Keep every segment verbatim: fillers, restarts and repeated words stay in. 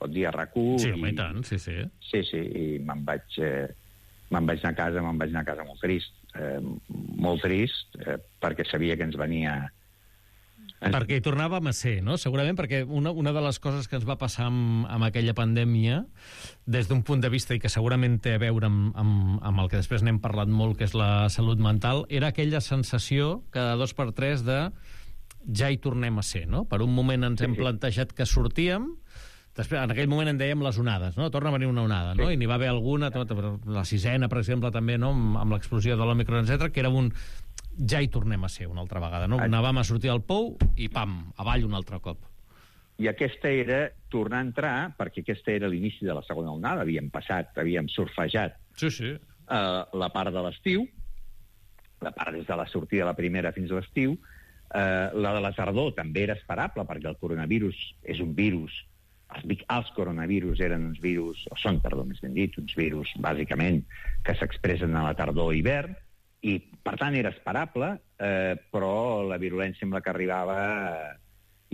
pot dir, a RAC1. Sí, home, i tant, sí, sí. Sí, sí, i me'n vaig, eh, me'n vaig anar a casa, me'n vaig anar a casa molt trist. Eh, molt trist, eh, perquè sabia que ens venia... Ens... Perquè hi tornàvem a ser, no? Segurament perquè una, una de les coses que ens va passar amb, amb aquella pandèmia, des d'un punt de vista, i que segurament té a veure amb, amb, amb el que després n'hem parlat molt, que és la salut mental, era aquella sensació, cada dos per tres, de ja hi tornem a ser, no? Per un moment ens hem plantejat que sortíem, després, en aquell moment en dèiem les onades, no? Torna a venir una onada, no? I n'hi va haver alguna, la sisena, per exemple, també, no? Amb, amb l'explosió de l'Òmicron, etcètera, que era un... ja hi tornem a ser una altra vegada, no? Anàvem a sortir al pou i, pam, avall un altre cop. I aquesta era tornar a entrar, perquè aquesta era l'inici de la segona onada, havíem passat, havíem surfejat sí, sí. Uh, la part de l'estiu, la part des de la sortida de la primera fins a l'estiu. Uh, la de la tardor també era esperable, perquè el coronavirus és un virus, els, els coronavirus eren uns virus, o són, perdó, més ben dit, uns virus, bàsicament, que s'expressen a la tardor i hivern, i, per tant, era esperable, eh, però la virulència amb la que arribava, eh,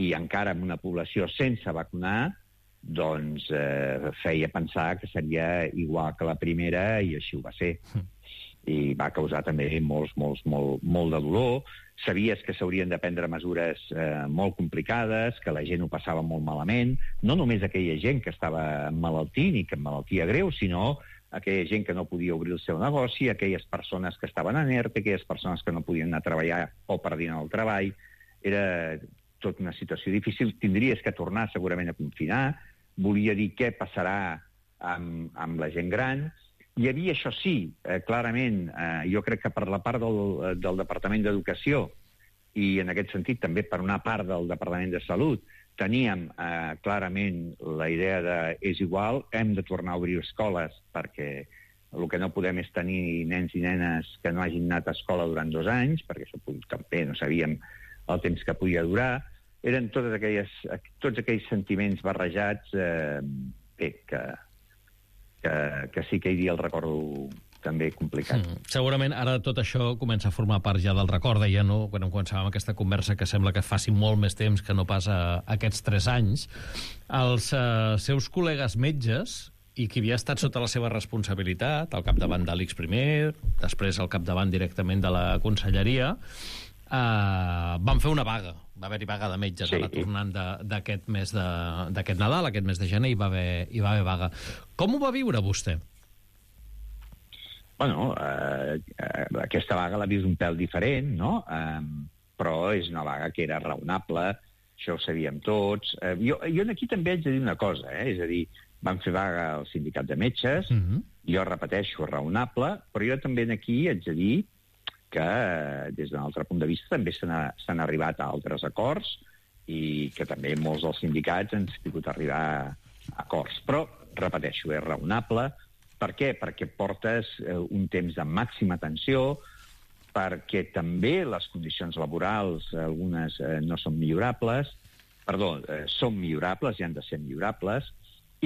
i encara en una població sense vacunar, doncs eh, feia pensar que seria igual que la primera, i així ho va ser. I va causar també molts, molts, molt, molt de dolor. Sabies que s'haurien de prendre mesures eh, molt complicades, que la gent ho passava molt malament, no només aquella gent que estava emmalaltint i que emmalaltia greu, sinó aquella gent que no podia obrir el seu negoci, aquelles persones que estaven en ERTE, aquelles persones que no podien anar a treballar o perdien el treball. Era tota una situació difícil. Tindries que tornar segurament a confinar. Volia dir què passarà amb, amb la gent gran. Hi havia, això sí, eh, clarament, eh, jo crec que per la part del, del Departament d'Educació i en aquest sentit també per una part del Departament de Salut, teníem eh, clarament la idea de és igual, hem de tornar a obrir escoles perquè el que no podem és tenir nens i nenes que no hagin anat a escola durant dos anys, perquè això també no sabíem el temps que podia durar. Eren totes aquelles, tots aquells sentiments barrejats eh, bé, que... Que, que sí que hi havia el recordo també complicat. Mm. Segurament ara tot això comença a formar part ja del record, deia, no? Quan començàvem aquesta conversa, que sembla que faci molt més temps que no pas a aquests tres anys. Els eh, seus col·legues metges i qui havia estat sota la seva responsabilitat, al capdavant de l'I C S primer, després al capdavant directament de la conselleria, Uh, van fer una vaga, va haver-hi vaga de metges, sí, ara tornant d'aquest mes de, d'aquest Nadal, aquest mes de gener, hi va haver, hi va haver vaga. Com ho va viure vostè? Bueno, uh, uh, aquesta vaga l'ha vist un pèl diferent, no? Uh, però és una vaga que era raonable, això ho sabíem tots. Uh, jo, jo aquí també haig de dir una cosa, eh? És a dir, van fer vaga al sindicat de metges, uh-huh. Jo repeteixo, raonable, però jo també aquí haig de dir que des d'un altre punt de vista també s'han arribat a altres acords i que també molts dels sindicats han pogut arribar a acords. Però, repeteixo, és raonable. Per què? Perquè portes un temps de màxima tensió, perquè també les condicions laborals, algunes eh, no són millorables, perdó, eh, són millorables i han de ser millorables,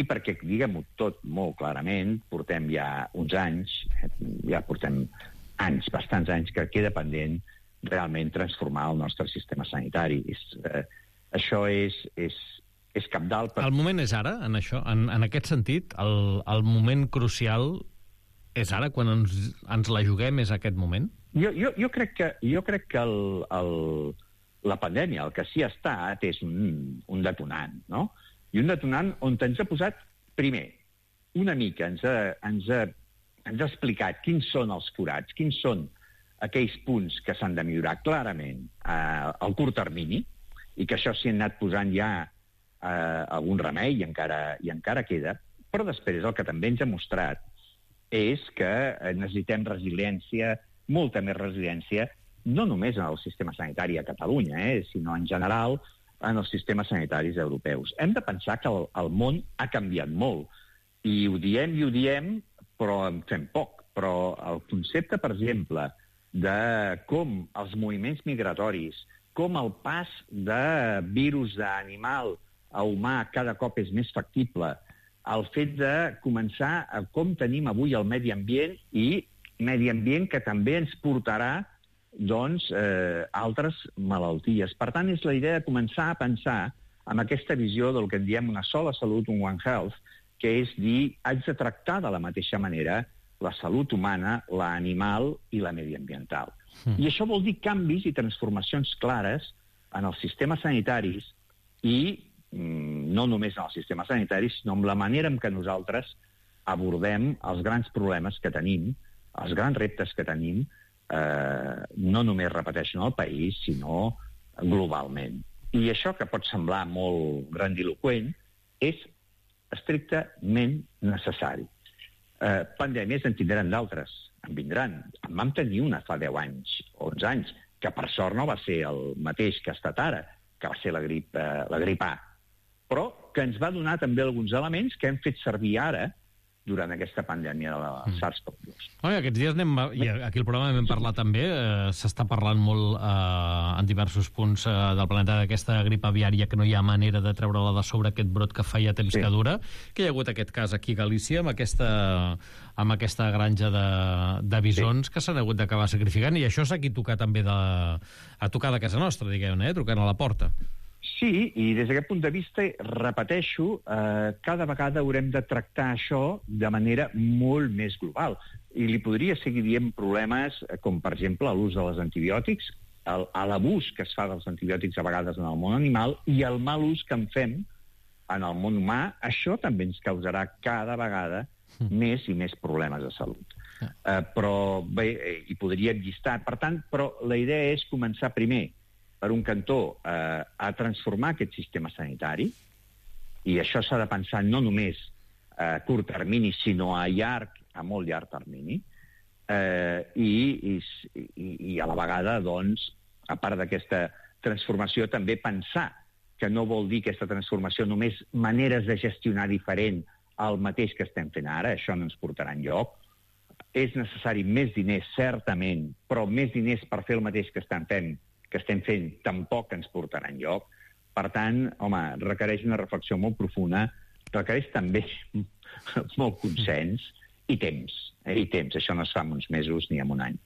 i perquè, diguem-ho tot molt clarament, portem ja uns anys, ja portem anys, bastants anys, que queda pendent realment transformar el nostre sistema sanitari. És, eh, això és, és, és cabdal. Per... El moment és ara, en això? En, en aquest sentit, el, el moment crucial és ara, quan ens, ens la juguem, és aquest moment? Jo, jo, jo crec que, jo crec que el, el, la pandèmia, el que sí ha estat, és un, un detonant, no? I un detonant on ens ha posat, primer, una mica, ens ha, ens ha ens ha explicat quins són els forats, quins són aquells punts que s'han de millorar clarament eh, al curt termini, i que això s'hi han anat posant ja eh, algun remei i encara, i encara queda, però després el que també ens ha mostrat és que necessitem resiliència, molta més resiliència, no només en el sistema sanitari a Catalunya, eh, sinó en general en els sistemes sanitaris europeus. Hem de pensar que el, el món ha canviat molt, i ho diem i ho diem, però en fem poc. Però el concepte, per exemple, de com els moviments migratoris, com el pas de virus d'animal a humà cada cop és més factible, el fet de començar a com tenim avui el medi ambient i medi ambient que també ens portarà doncs, eh, altres malalties. Per tant, és la idea de començar a pensar amb aquesta visió del que en diem una sola salut, un One Health, que és dir, haig de tractar de la mateixa manera la salut humana, la animal i la mediambiental. Mm. I això vol dir canvis i transformacions clares en els sistemes sanitaris i mm, no només en els sistemes sanitaris, sinó en la manera en què nosaltres abordem els grans problemes que tenim, els grans reptes que tenim, eh, no només, repeteixo, en el país, sinó globalment. I això, que pot semblar molt grandiloqüent, és estrictament necessari. Eh, pandèmies en tindran d'altres, en vindran. En vam tenir una fa deu anys, onze anys, que per sort no va ser el mateix que ha estat ara, que va ser la grip, eh, la grip A, però que ens va donar també alguns elements que hem fet servir ara durant aquesta pandèmia de la mm. SARS-CoV dos. Oh, i aquests dies anem, i aquí el programa hem parlat també, eh, s'està parlant molt eh, en diversos punts eh, del planeta d'aquesta grip aviària, que no hi ha manera de treure-la de sobre, aquest brot que feia temps sí. que dura, que hi ha hagut aquest cas aquí a Galícia, amb aquesta, amb aquesta granja de, de bisons sí. que s'han hagut d'acabar sacrificant, i això s'ha aquí tocar també de, a tocar de casa nostra, diguem-ne, eh, trucant a la porta. Sí, i des d'aquest punt de vista, repeteixo, eh, cada vegada haurem de tractar això de manera molt més global. I li podria seguir dient problemes com, per exemple, l'ús de les antibiòtics, el, l'abús que es fa dels antibiòtics a vegades en el món animal i el mal ús que en fem en el món humà. Això també ens causarà cada vegada mm. més i més problemes de salut. Yeah. Eh, però bé, hi podríem llistar. Per tant, però la idea és començar primer per un cantó, eh, a transformar aquest sistema sanitari, i això s'ha de pensar no només a curt termini, sinó a llarg, a molt llarg termini, eh, i, i, i a la vegada, doncs, a part d'aquesta transformació, també pensar que no vol dir aquesta transformació només maneres de gestionar diferent al mateix que estem fent ara, això no ens portarà enlloc. És necessari més diners, certament, però més diners per fer el mateix que estem fent que estem fent tampoc ens portarà enlloc. Per tant, home, requereix una reflexió molt profunda, requereix també molt consens i temps. Eh? I temps, això no es fa en uns mesos ni en un any.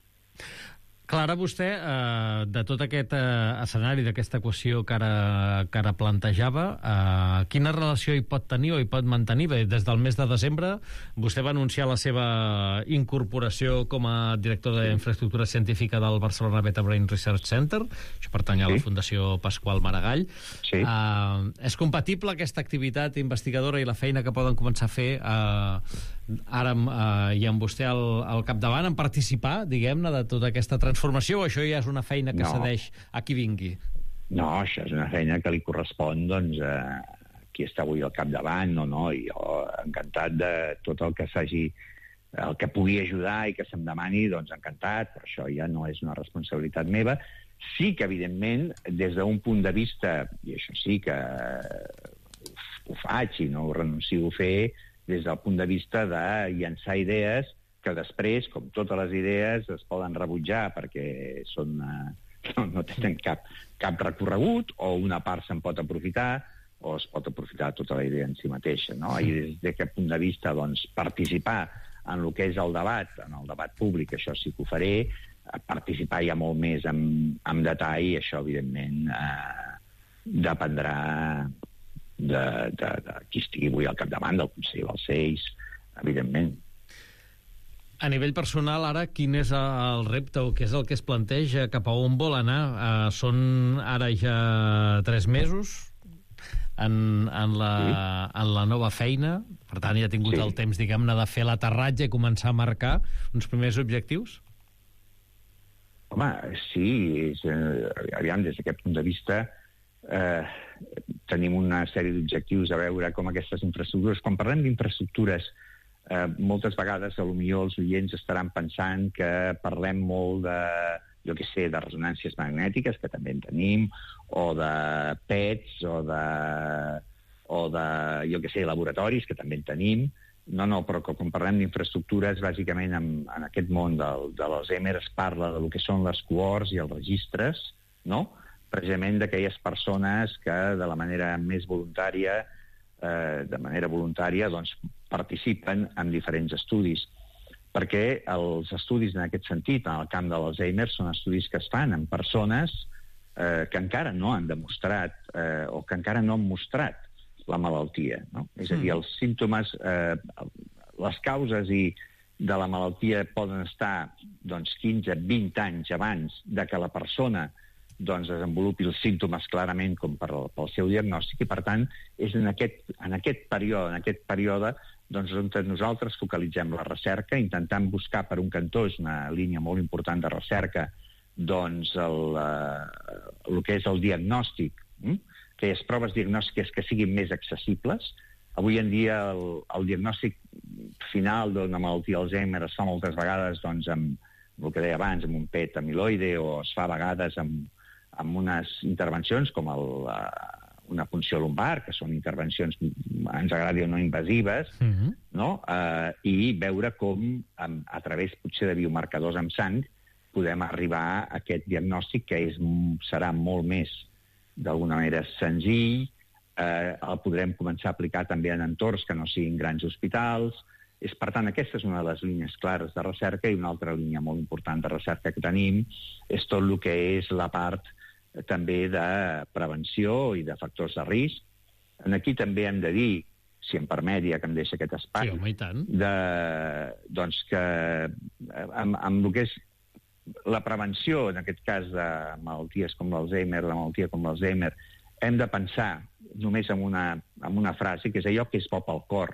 Clara, vostè, eh, de tot aquest eh, escenari, d'aquesta equació que ara, que ara plantejava, eh, quina relació hi pot tenir o hi pot mantenir? Bé, des del mes de desembre vostè va anunciar la seva incorporació com a director d'infraestructura científica del Barcelona Beta Brain Research Center, això pertany a la sí. Fundació Pasqual Maragall. Sí. Eh, és compatible aquesta activitat investigadora i la feina que poden començar a fer eh, ara eh, i amb vostè al, al capdavant, en participar, diguem-ne, de tota aquesta transformació, o això ja és una feina que no. cedeix a qui vingui? No, això és una feina que li correspon, doncs, a qui està avui al capdavant, no, no, i jo encantat de tot el que s'hagi, el que pugui ajudar i que se'm demani, doncs encantat, però això ja no és una responsabilitat meva. Sí que, evidentment, des d'un punt de vista, i això sí que ho faig i no ho renuncio a fer, des del punt de vista de llançar idees que després, com totes les idees, es poden rebutjar perquè són, eh, no, no tenen cap, cap recorregut, o una part se'n pot aprofitar, o es pot aprofitar tota la idea en si mateixa, no? I des d'aquest punt de vista, doncs, participar en el que és el debat, en el debat públic, això sí que ho faré, participar ja molt més en, en detall, això, evidentment, eh, dependrà de, de, de qui estigui avui al capdavant del Consell dels Seis, evidentment. A nivell personal, ara, quin és el repte o què és el que es planteja, cap a on vol anar? Uh, són ara ja tres mesos en, en, la, sí. en la nova feina, per tant ja ha tingut sí. el temps, diguem-ne, de fer l'aterratge i començar a marcar uns primers objectius? Home, sí, és, eh, aviam, des d'aquest punt de vista eh, tenim una sèrie d'objectius a veure com aquestes infraestructures, quan parlem d'infraestructures, Eh, moltes vegades, potser els oients estaran pensant que parlem molt de, jo què sé, de resonàncies magnètiques, que també en tenim, o de P E Ts, o de, o de jo què sé, laboratoris, que també en tenim. No, no, però quan parlem d'infraestructures, bàsicament en, en aquest món del, de l'Alzheimer es parla de lo que són les cohorts i els registres, no? Precisament d'aquelles persones que de la manera més voluntària Eh, de manera voluntària, doncs, participen en diferents estudis. Perquè els estudis en aquest sentit, en el camp de l'Alzheimer, són estudis que es fan en persones eh, que encara no han demostrat eh, o que encara no han mostrat la malaltia, no? És a dir, els símptomes, eh, les causes i de la malaltia poden estar doncs, quinze a vint anys abans de que la persona doncs, desenvolupi els símptomes clarament com per, pel seu diagnòstic, i per tant és en aquest, en aquest període, en aquest període doncs, on nosaltres focalitzem la recerca, intentant buscar per un cantó, és una línia molt important de recerca, doncs el, eh, el que és el diagnòstic, hm? aquelles proves diagnòstiques que siguin més accessibles. Avui en dia el, el diagnòstic final d'una malaltia d'Alzheimer es fa moltes vegades doncs, amb el que deia abans, amb un P E T amiloide, o es fa a vegades amb amb unes intervencions com el, uh, una punció lumbar, que són intervencions, ens agradi o no, invasives, uh-huh. no? Uh, i veure com, a, a través potser de biomarcadors amb sang, podem arribar a aquest diagnòstic que és, serà molt més, d'alguna manera, senzill, uh, el podrem començar a aplicar també en entorns que no siguin grans hospitals. És, per tant, aquesta és una de les línies clares de recerca, i una altra línia molt important de recerca que tenim és tot el que és la part també de prevenció i de factors de risc. Aquí també hem de dir, si em permet, ja que em deixa aquest espai, sí, home, i tant. De, doncs que amb, amb el que és la prevenció, en aquest cas de malalties com l'Alzheimer, la malaltia com l'Alzheimer, hem de pensar només en una, en una frase, que és allò que és bo pel cor,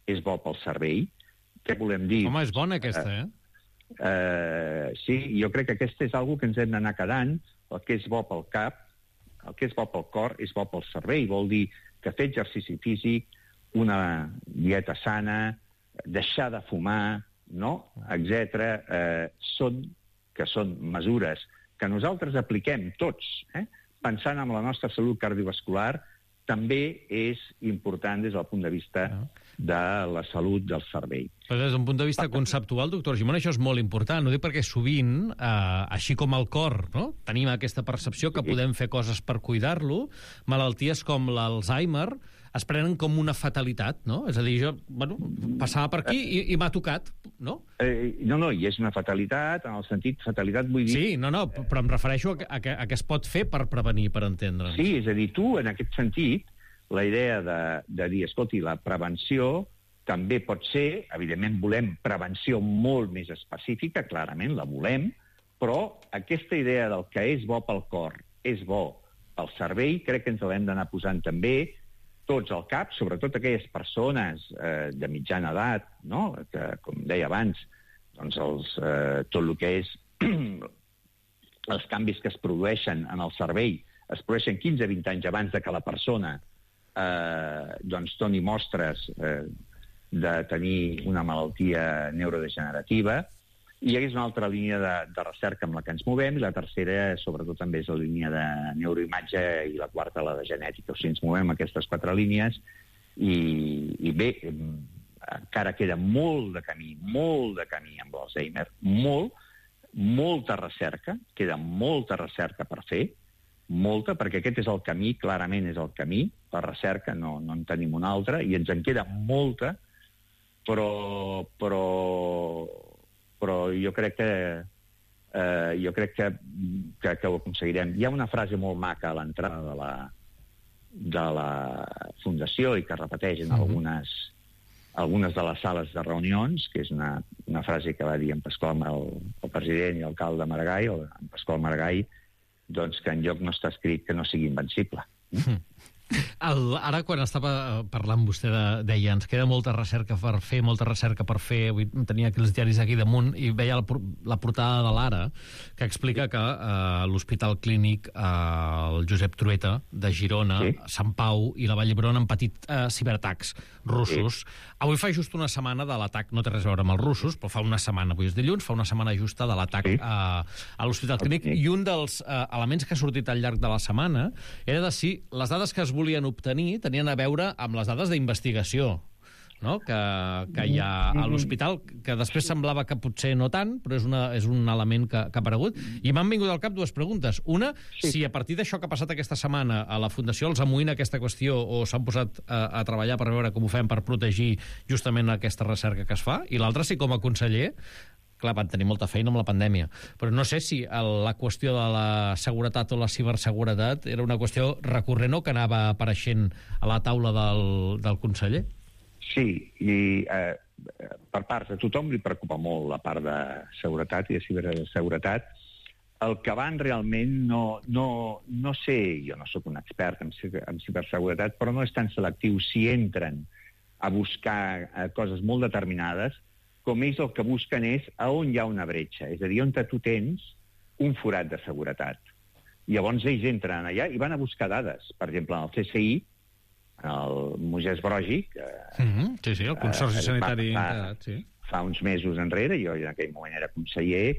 és bo pel cervell. Què volem dir? Home, és bona aquesta, eh? Uh, sí, jo crec que aquesta és una que ens hem d'anar quedant. El que és bo pel cap, el que és bo pel cor, és bo pel cervell. Vol dir que fer exercici físic, una dieta sana, deixar de fumar, no? etcètera, eh, són, que són mesures que nosaltres apliquem tots, eh? pensant en la nostra salut cardiovascular, també és important des del punt de vista de la salut del cervell. Però des d'un punt de vista conceptual, doctor Gimón, això és molt important. Ho dic perquè sovint, eh, així com el cor, no? tenim aquesta percepció que podem fer coses per cuidar-lo, malalties com l'Alzheimer es prenen com una fatalitat, no? És a dir, jo bueno, passava per aquí i, i m'ha tocat, no? Eh, no, no, i és una fatalitat, en el sentit, fatalitat vull dir... Sí, no, no, però em refereixo a que, a que, a que es pot fer per prevenir, per entendre'ns. Sí, és a dir, tu, en aquest sentit, la idea de, de dir, escolti, la prevenció també pot ser, evidentment volem prevenció molt més específica, clarament la volem, però aquesta idea del que és bo pel cor, és bo pel cervell, crec que ens l'hem d'anar posant també tots al cap, sobretot aquelles persones eh, de mitjana edat, no? que, com deia abans, doncs els, eh, tot el que és els canvis que es produeixen en el cervell es produeixen quinze a vint anys abans de que la persona eh, doncs doni mostres eh, de tenir una malaltia neurodegenerativa. I és una altra línia de, de recerca amb la que ens movem, i la tercera, sobretot, també és la línia de neuroimatge, i la quarta, la de genètica. O sigui, ens movem aquestes quatre línies, i, i bé, encara queda molt de camí, molt de camí amb l'Alzheimer, molt, molta recerca, queda molta recerca per fer, molta, perquè aquest és el camí, clarament és el camí, la recerca, no, no en tenim una altra, i ens en queda molta, però... però però jo crec que eh, jo crec que, que, que ho aconseguirem. Hi ha una frase molt maca a l'entrada de la, de la Fundació i que repeteix en algunes, algunes de les sales de reunions, que és una, una frase que va dir en Pasqual, el, el president i alcalde Maragall, o en Pasqual Maragall, doncs que enlloc no està escrit que no sigui invencible. Mm. El, ara, quan estava parlant vostè, de, deia, ens queda molta recerca per fer, molta recerca per fer, avui tenia aquí els diaris aquí damunt, i veia la, la portada de l'Ara, que explica que eh, l'Hospital Clínic, eh, el Josep Trueta, de Girona, sí. Sant Pau i la Vall d'Hebron han patit eh, ciberatacs russos. Sí. Avui fa just una setmana de l'atac, no té res a veure amb els russos, però fa una setmana, avui és dilluns, fa una setmana justa de l'atac sí. a, a l'Hospital Clínic, sí. I un dels eh, elements que ha sortit al llarg de la setmana era de si les dades que es volien obtenir tenien a veure amb les dades d'investigació, no? que, que hi ha a l'hospital, que després semblava que potser no tant, però és, una, és un element que, que ha aparegut. I m'han vingut al cap dues preguntes. Una, sí. si a partir d'això que ha passat aquesta setmana a la Fundació els amoïna aquesta qüestió o s'han posat a, a treballar per veure com ho fem per protegir justament aquesta recerca que es fa. I l'altra, si com a conseller, clar, van tenir molta feina amb la pandèmia. Però no sé si el, la qüestió de la seguretat o la ciberseguretat era una qüestió recurrent o que anava apareixent a la taula del, del conseller. Sí, i eh, per part de tothom li preocupa molt la part de seguretat i de ciberseguretat. El que van realment, no, no, no sé, jo no sóc un expert en, en ciberseguretat, però no és tan selectiu si entren a buscar eh, coses molt determinades, com ells el que busquen és a on hi ha una bretxa, és a dir, on tu tens un forat de seguretat. Llavors ells entren allà i van a buscar dades. Per exemple, en el C C I, el Moisès Broggi, que mm-hmm. sí, sí, el Consorci eh, Sanitari fa, Integrat, sí. Fa uns mesos enrere, jo en aquell moment era conseller,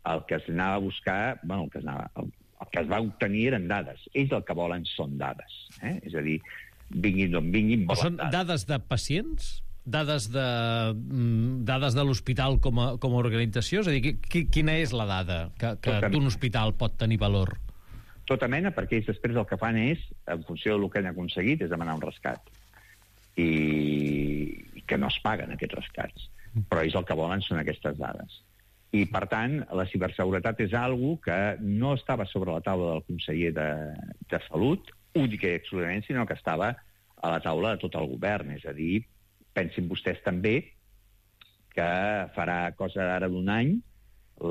el que es anava a buscar, bueno, el que es, anava, el, el que es va obtenir eren dades. Ells el que volen són dades. Eh? És a dir, vinguin d'on vinguin, volen són dades. Dades de pacients? Dades de, dades de l'hospital com, a, com a organització? És a dir, qui, quina és la dada que, que d'un hospital pot tenir valor? Tota mena, perquè ells després el que fan és, en funció del que han aconseguit, és demanar un rescat. I, i que no es paguen aquests rescats. Però ells el que volen són aquestes dades. I, per tant, la ciberseguretat és algo que no estava sobre la taula del conseller de, de Salut, única i exclusivament, sinó que estava a la taula de tot el govern. És a dir, pensin vostès també que farà cosa ara d'un any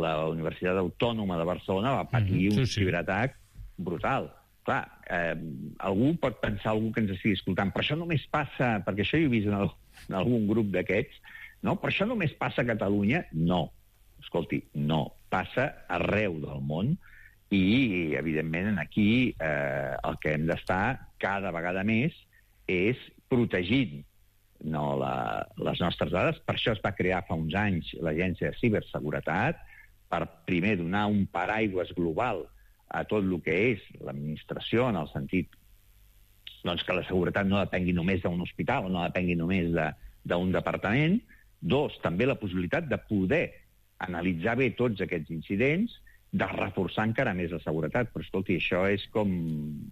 la Universitat Autònoma de Barcelona va patir mm-hmm. un sí, sí. ciberatac brutal. Clar, eh, algú pot pensar, algú que ens estigui escoltant, però això només passa, perquè això jo he vist en, el, en algun grup d'aquests, no? Però això només passa a Catalunya? No. Escolti, no. Passa arreu del món i, evidentment, aquí eh, el que hem d'estar cada vegada més és protegint no, la, les nostres dades. Per això es va crear fa uns anys l'Agència de Ciberseguretat, per primer donar un paraigües global a tot el que és l'administració, en el sentit doncs, que la seguretat no depengui només d'un hospital o no depengui només d'un departament. Dos, també la possibilitat de poder analitzar bé tots aquests incidents, de reforçar encara més la seguretat. Però, escolti, això és com,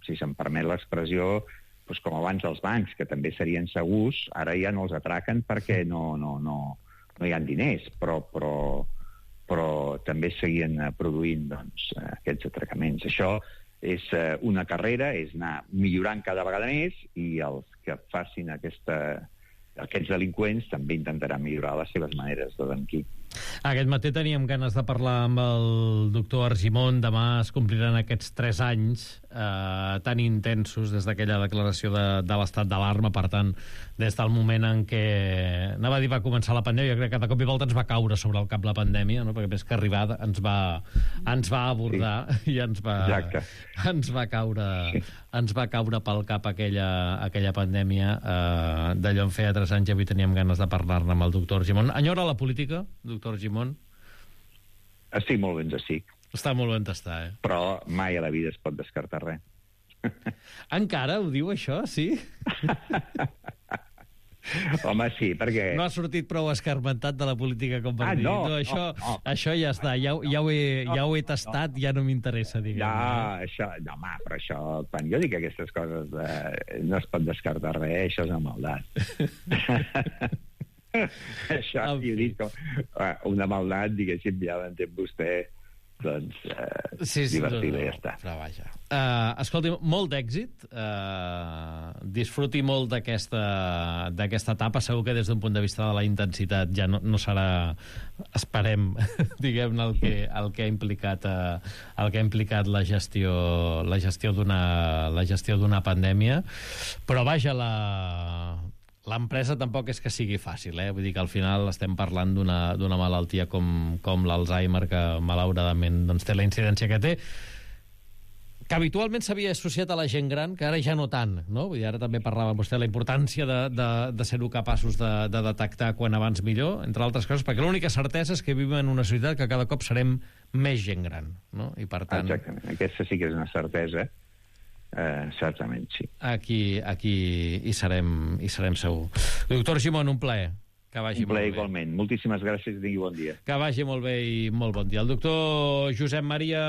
si se'm permet l'expressió, doncs com abans els bancs, que també serien segurs, ara ja no els atraquen perquè no, no, no, no hi ha diners, però... però però també seguien produint doncs, aquests atracaments. Això és una carrera, és anar millorant cada vegada més i els que facin aquesta, aquests delinqüents també intentaran millorar les seves maneres de delinquir. Aquest matí teníem ganes de parlar amb el doctor Argimon. Demà es compliran aquests tres anys eh, tan intensos des d'aquella declaració de, de l'estat d'alarma. Per tant, des del moment en què anava a dir va començar la pandèmia, jo crec que de cop i volta ens va caure sobre el cap la pandèmia, no? Perquè més que arribar ens va, ens va abordar sí. i ens va, ens va caure sí. ens va caure pel cap aquella, aquella pandèmia eh, d'allò en feia tres anys i avui teníem ganes de parlar-ne amb el doctor Argimon. Enyora la política, doctor Argimon? Estic molt ben estic. Està molt ben d'estar, eh? Però mai a la vida es pot descartar res. Encara ho diu, això, sí? Home, sí, perquè... No ha sortit prou escarmentat de la política com per ah, dir. No, no, això, no, no. això ja està, ja, ja, ho, he, ja ho he tastat, no, ja no m'interessa, diguem. No, això, no, home, però això, quan jo dic aquestes coses, eh, no es pot descartar res, això és una maldat. Això, jo dic, una maldat, diguéssim, ja l'entén vostè, doncs, eh, sí, sí, divertida, no, no, ja està. Però vaja. Uh, escolti, molt d'èxit, uh, disfruti molt d'aquesta d'aquesta etapa. Segur que des d'un punt de vista de la intensitat ja no, no serà, esperem, diguem-ne, el que, el que ha implicat uh, el que ha implicat la gestió la gestió d'una la gestió d'una pandèmia, però vaja, la l'empresa tampoc és que sigui fàcil, eh? Vull dir que al final estem parlant d'una d'una malaltia com, com l'Alzheimer, que malauradament doncs, té la incidència que té, que habitualment s'havia associat a la gent gran, que ara ja no tant, no? Vull dir, ara també parlava vostè de la importància de, de, de ser-ho capaços de, de detectar quan abans millor, entre altres coses, perquè l'única certesa és que vivim en una societat que cada cop serem més gent gran, no? I per tant... Exactament, aquesta sí que és una certesa. Uh, certament, sí. Aquí, aquí hi serem, hi serem segur. Doctor Argimon, un plaer. Que vagi un plaer molt bé. Igualment. Moltíssimes gràcies i tingui bon dia. Que vagi molt bé i molt bon dia. El doctor Josep Maria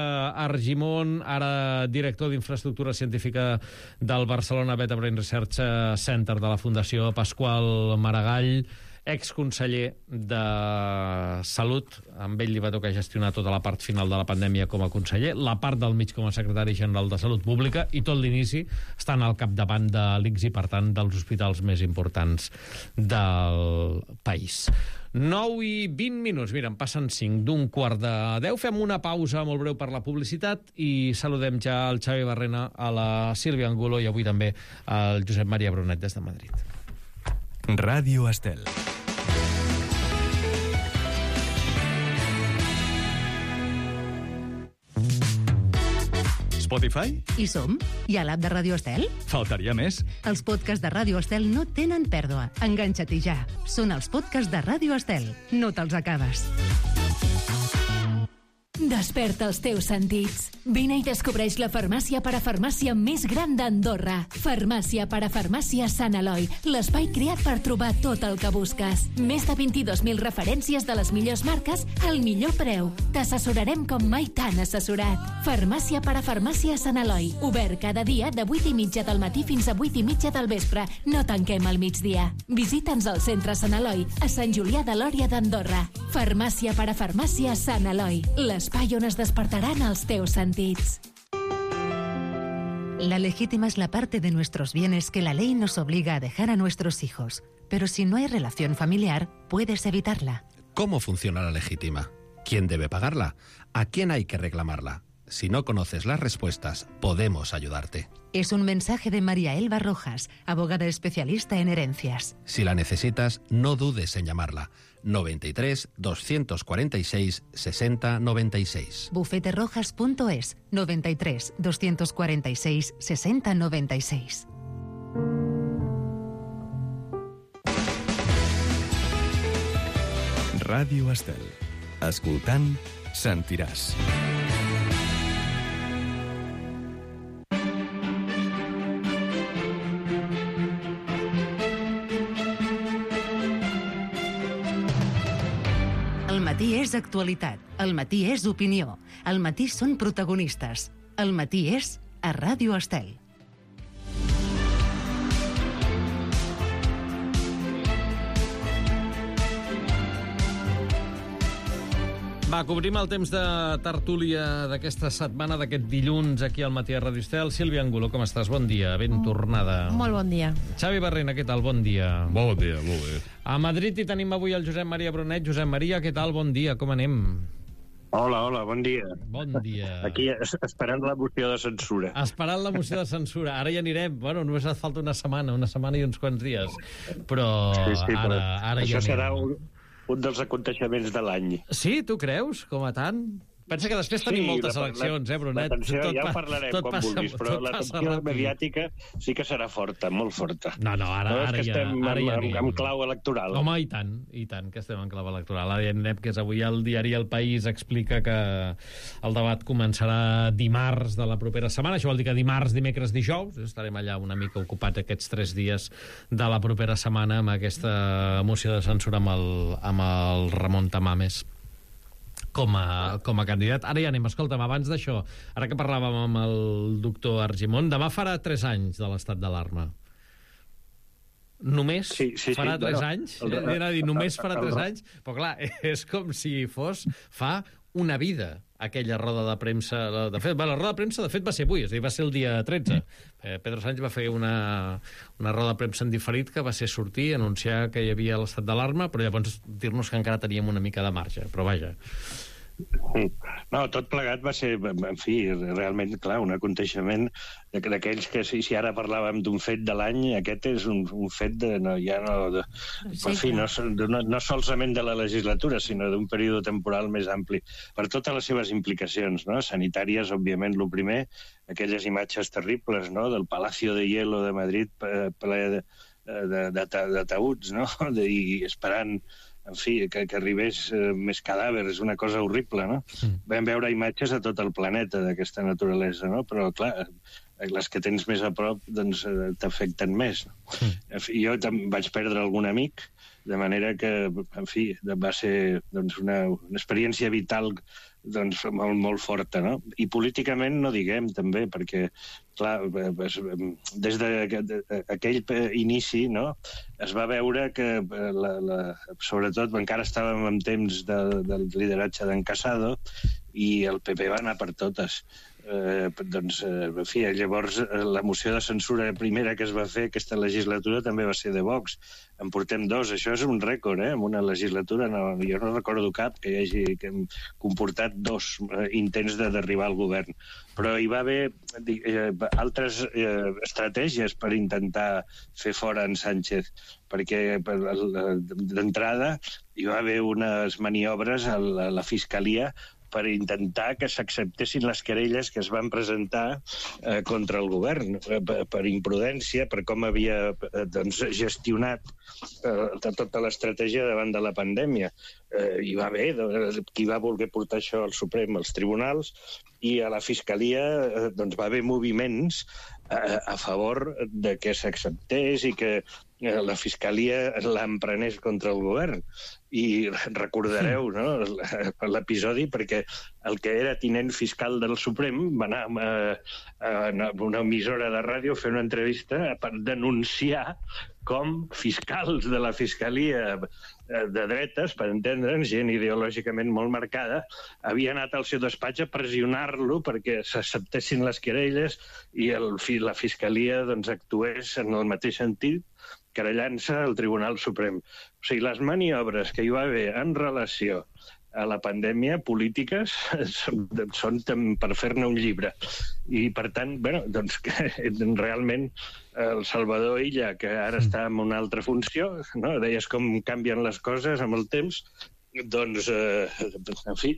Argimon, ara director d'Infraestructura Científica del Barcelona Beta Brain Research Center de la Fundació Pasqual Maragall. exconseller de Salut. Amb ell li va tocar gestionar tota la part final de la pandèmia com a conseller, la part del mig com a secretari general de Salut Pública i tot l'inici estan al capdavant de l'I C S i, per tant, dels hospitals més importants del país. nou i vint minuts, mira, en passen cinc d'un quart de deu. Fem una pausa molt breu per la publicitat i saludem ja el Xavi Barrena, a la Sílvia Angulo i avui també al Josep Maria Brunet des de Madrid. Ràdio Estel. Spotify? Hi som? Hi ha l'app de Ràdio Estel? Faltaria més. Els podcasts de Ràdio Estel no tenen pèrdua. Enganxa-t'hi ja. Són els podcasts de Ràdio Estel. No te'ls acabes. Desperta els teus sentits. Vine i descobreix la farmàcia parafarmàcia més gran d'Andorra. Farmàcia parafarmàcia Sant Eloi, l'espai creat per trobar tot el que busques. Més de vint-i-dos mil referències de les millors marques al millor preu. T'assessorarem com mai t'han assessorat. Farmàcia parafarmàcia Sant Eloi. Obert cada dia de vuit i mitja del matí fins a vuit i mitja del vespre. No tanquem al migdia. Visita'ns al centre Sant Eloi, a Sant Julià de Lòria d'Andorra. Farmàcia parafarmàcia Sant Eloi. L'espai on es despertaran els teus sentits. La legítima es la parte de nuestros bienes que la ley nos obliga a dejar a nuestros hijos. Pero si no hay relación familiar, puedes evitarla. ¿Cómo funciona la legítima? ¿Quién debe pagarla? ¿A quién hay que reclamarla? Si no conoces las respuestas, podemos ayudarte. Es un mensaje de María Elba Rojas, abogada especialista en herencias. Si la necesitas, no dudes en llamarla. noventa y tres, doscientos cuarenta y seis, sesenta noventa y seis. bufete rojas punto es, noventa y tres, doscientos cuarenta y seis, sesenta noventa y seis. Ràdio Estel. Escoltant, sentiràs. El matí és actualitat, el matí és opinió, el matí són protagonistes, el matí és a Ràdio Estel. Va, cobrim el temps de tertúlia d'aquesta setmana, d'aquest dilluns, aquí al matí a Ràdio Estel. Sílvia Angulo, com estàs? Bon dia, ben tornada. Molt bon dia. Xavi Barrena, què tal? Bon dia. Bon dia, molt bé. A Madrid hi tenim avui el Josep Maria Brunet. Josep Maria, què tal? Bon dia, com anem? Hola, hola, bon dia. Bon dia. Aquí esperant la moció de censura. Esperant la moció de censura. Ara hi anirem. Bueno, només et falta una setmana, una setmana i uns quants dies. Però sí, sí, ara, però ara hi això anem. serà un, un dels aconteixements de l'any. Sí, tu creus? Com a tant? Pensa que després tenim Sí, moltes la- eleccions, eh, Brunet? L'atenció, Tot ja pa- en parlarem tot quan passa- vulguis, però tot passa l'atenció ràpid. mediàtica sí que serà forta, molt forta. No, no, ara, No, és ara, que ja, estem ara amb, ja amb, anirem. amb clau electoral. Home, i tant, i tant, que estem en clau electoral. Ara ja anirem, que és avui el diari El País explica que el debat començarà dimarts de la propera setmana. Això vol dir que dimarts, dimecres, dijous, estarem allà una mica ocupats aquests tres dies de la propera setmana amb aquesta moció de censura amb el, amb el Ramon Tamames com a, com a candidat. Ara ja anem, escolta'm, abans d'això, ara que parlàvem amb el doctor Argimon, demà farà tres anys de l'estat d'alarma. Només Sí, sí, sí, farà tres bueno, anys? el- Eh, Era a dir, només farà el- tres anys? Però clar, és com si fos fa una vida aquella roda de premsa. De fet, la roda de premsa, de fet, va ser avui, és a dir, va ser el dia tretze. Eh, Pedro Sánchez va fer una, una roda de premsa en diferit que va ser sortir, anunciar que hi havia l'estat d'alarma, però llavors dir-nos que encara teníem una mica de marge. Però vaja. No, tot plegat va ser, en fi, realment, clar, un aconteixement d'aquells que, si, si ara parlàvem d'un fet de l'any, aquest és un, un fet de, no, ja no, de, Sí, en fi, clar. no, sol- no, no solament de la legislatura, sinó d'un període temporal més ampli, per totes les seves implicacions, no? Sanitàries, òbviament, el primer, aquelles imatges terribles, no?, del Palacio de Hielo de Madrid ple de, de, de, de taüts, no?, de, i esperant, en fi, que, que arribés eh, més cadàvers, una cosa horrible, no? Mm. Vam veure imatges a tot el planeta d'aquesta naturalesa, no? Però, clar, les que tens més a prop doncs, t'afecten més. En fi, jo vaig perdre algun amic, de manera que, en fi, va ser doncs, una, una experiència vital doncs, molt, molt forta, no? I políticament no diguem, també, perquè, clar, des d'aquell inici, no?, es va veure que, la, la, sobretot, encara estàvem en temps de, del lideratge d'en Casado, i el P P va anar per totes. Eh, doncs, eh, en fi, llavors la moció de censura primera que es va fer aquesta legislatura també va ser de Vox. En portem dos, això és un rècord, eh? En una legislatura, no, jo no recordo cap que hi hagi que hem comportat dos eh, intents de derribar el govern. Però hi va haver eh, altres eh, estratègies per intentar fer fora en Sánchez, perquè d'entrada hi va haver unes maniobres a la, a la Fiscalia per intentar que s'acceptessin les querelles que es van presentar eh, contra el govern, eh, per, per imprudència, per com havia eh, doncs, gestionat eh, tota l'estratègia davant de la pandèmia. Eh, hi va haver qui va voler portar això al Suprem, als tribunals, i a la Fiscalia eh, doncs, va haver moviments a, a favor de que s'acceptés i que eh, la Fiscalia l'emprenés contra el govern. I recordareu, no?, l'episodi, perquè el que era tinent fiscal del Suprem va anar a, a una emissora de ràdio a fer una entrevista per denunciar com fiscals de la Fiscalia de dretes, per entendre'ns, gent ideològicament molt marcada, havia anat al seu despatx a pressionar-lo perquè s'acceptessin les querelles i el, la Fiscalia doncs, actués en el mateix sentit, querellant-se al Tribunal Suprem. O sigui, les maniobres que hi va haver en relació a la pandèmia polítiques són, són per fer-ne un llibre. I, per tant, bueno, doncs, realment el Salvador Illa, que ara està en una altra funció, no? Deies com canvien les coses amb el temps, doncs, eh, en fi,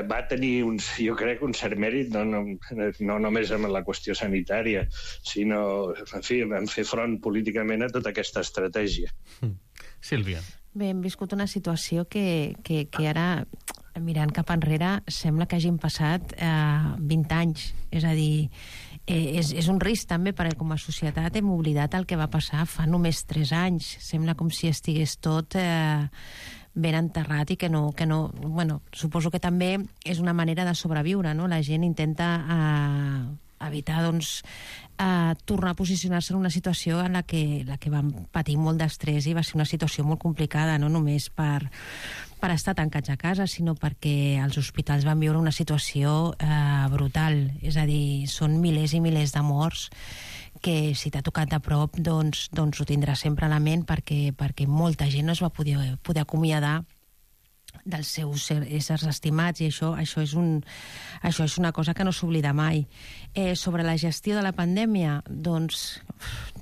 va tenir, uns, jo crec, un cert mèrit, no, no, no només amb la qüestió sanitària, sinó, en fi, vam fer front políticament a tota aquesta estratègia. Sílvia. Bé, hem viscut una situació que, que, que ara, mirant cap enrere, sembla que hagin passat eh, vint anys. És a dir, eh, és, és un risc també perquè com a societat hem oblidat el que va passar fa només tres anys. Sembla com si estigués tot eh, ben enterrat i que no, que no... Bueno, suposo que també és una manera de sobreviure, no? La gent intenta eh, evitar, doncs, eh, tornar a posicionar-se en una situació en la que, la que vam patir molt d'estrès i va ser una situació molt complicada, no només per, per estar tancats a casa, sinó perquè els hospitals van viure una situació eh, brutal. És a dir, són milers i milers de morts que si t'ha tocat de prop, doncs, doncs ho tindràs sempre a la ment perquè, perquè molta gent no es va poder, poder acomiadar dels seus éssers estimats i això, això, és un, això és una cosa que no s'oblida mai. Eh, sobre la gestió de la pandèmia, doncs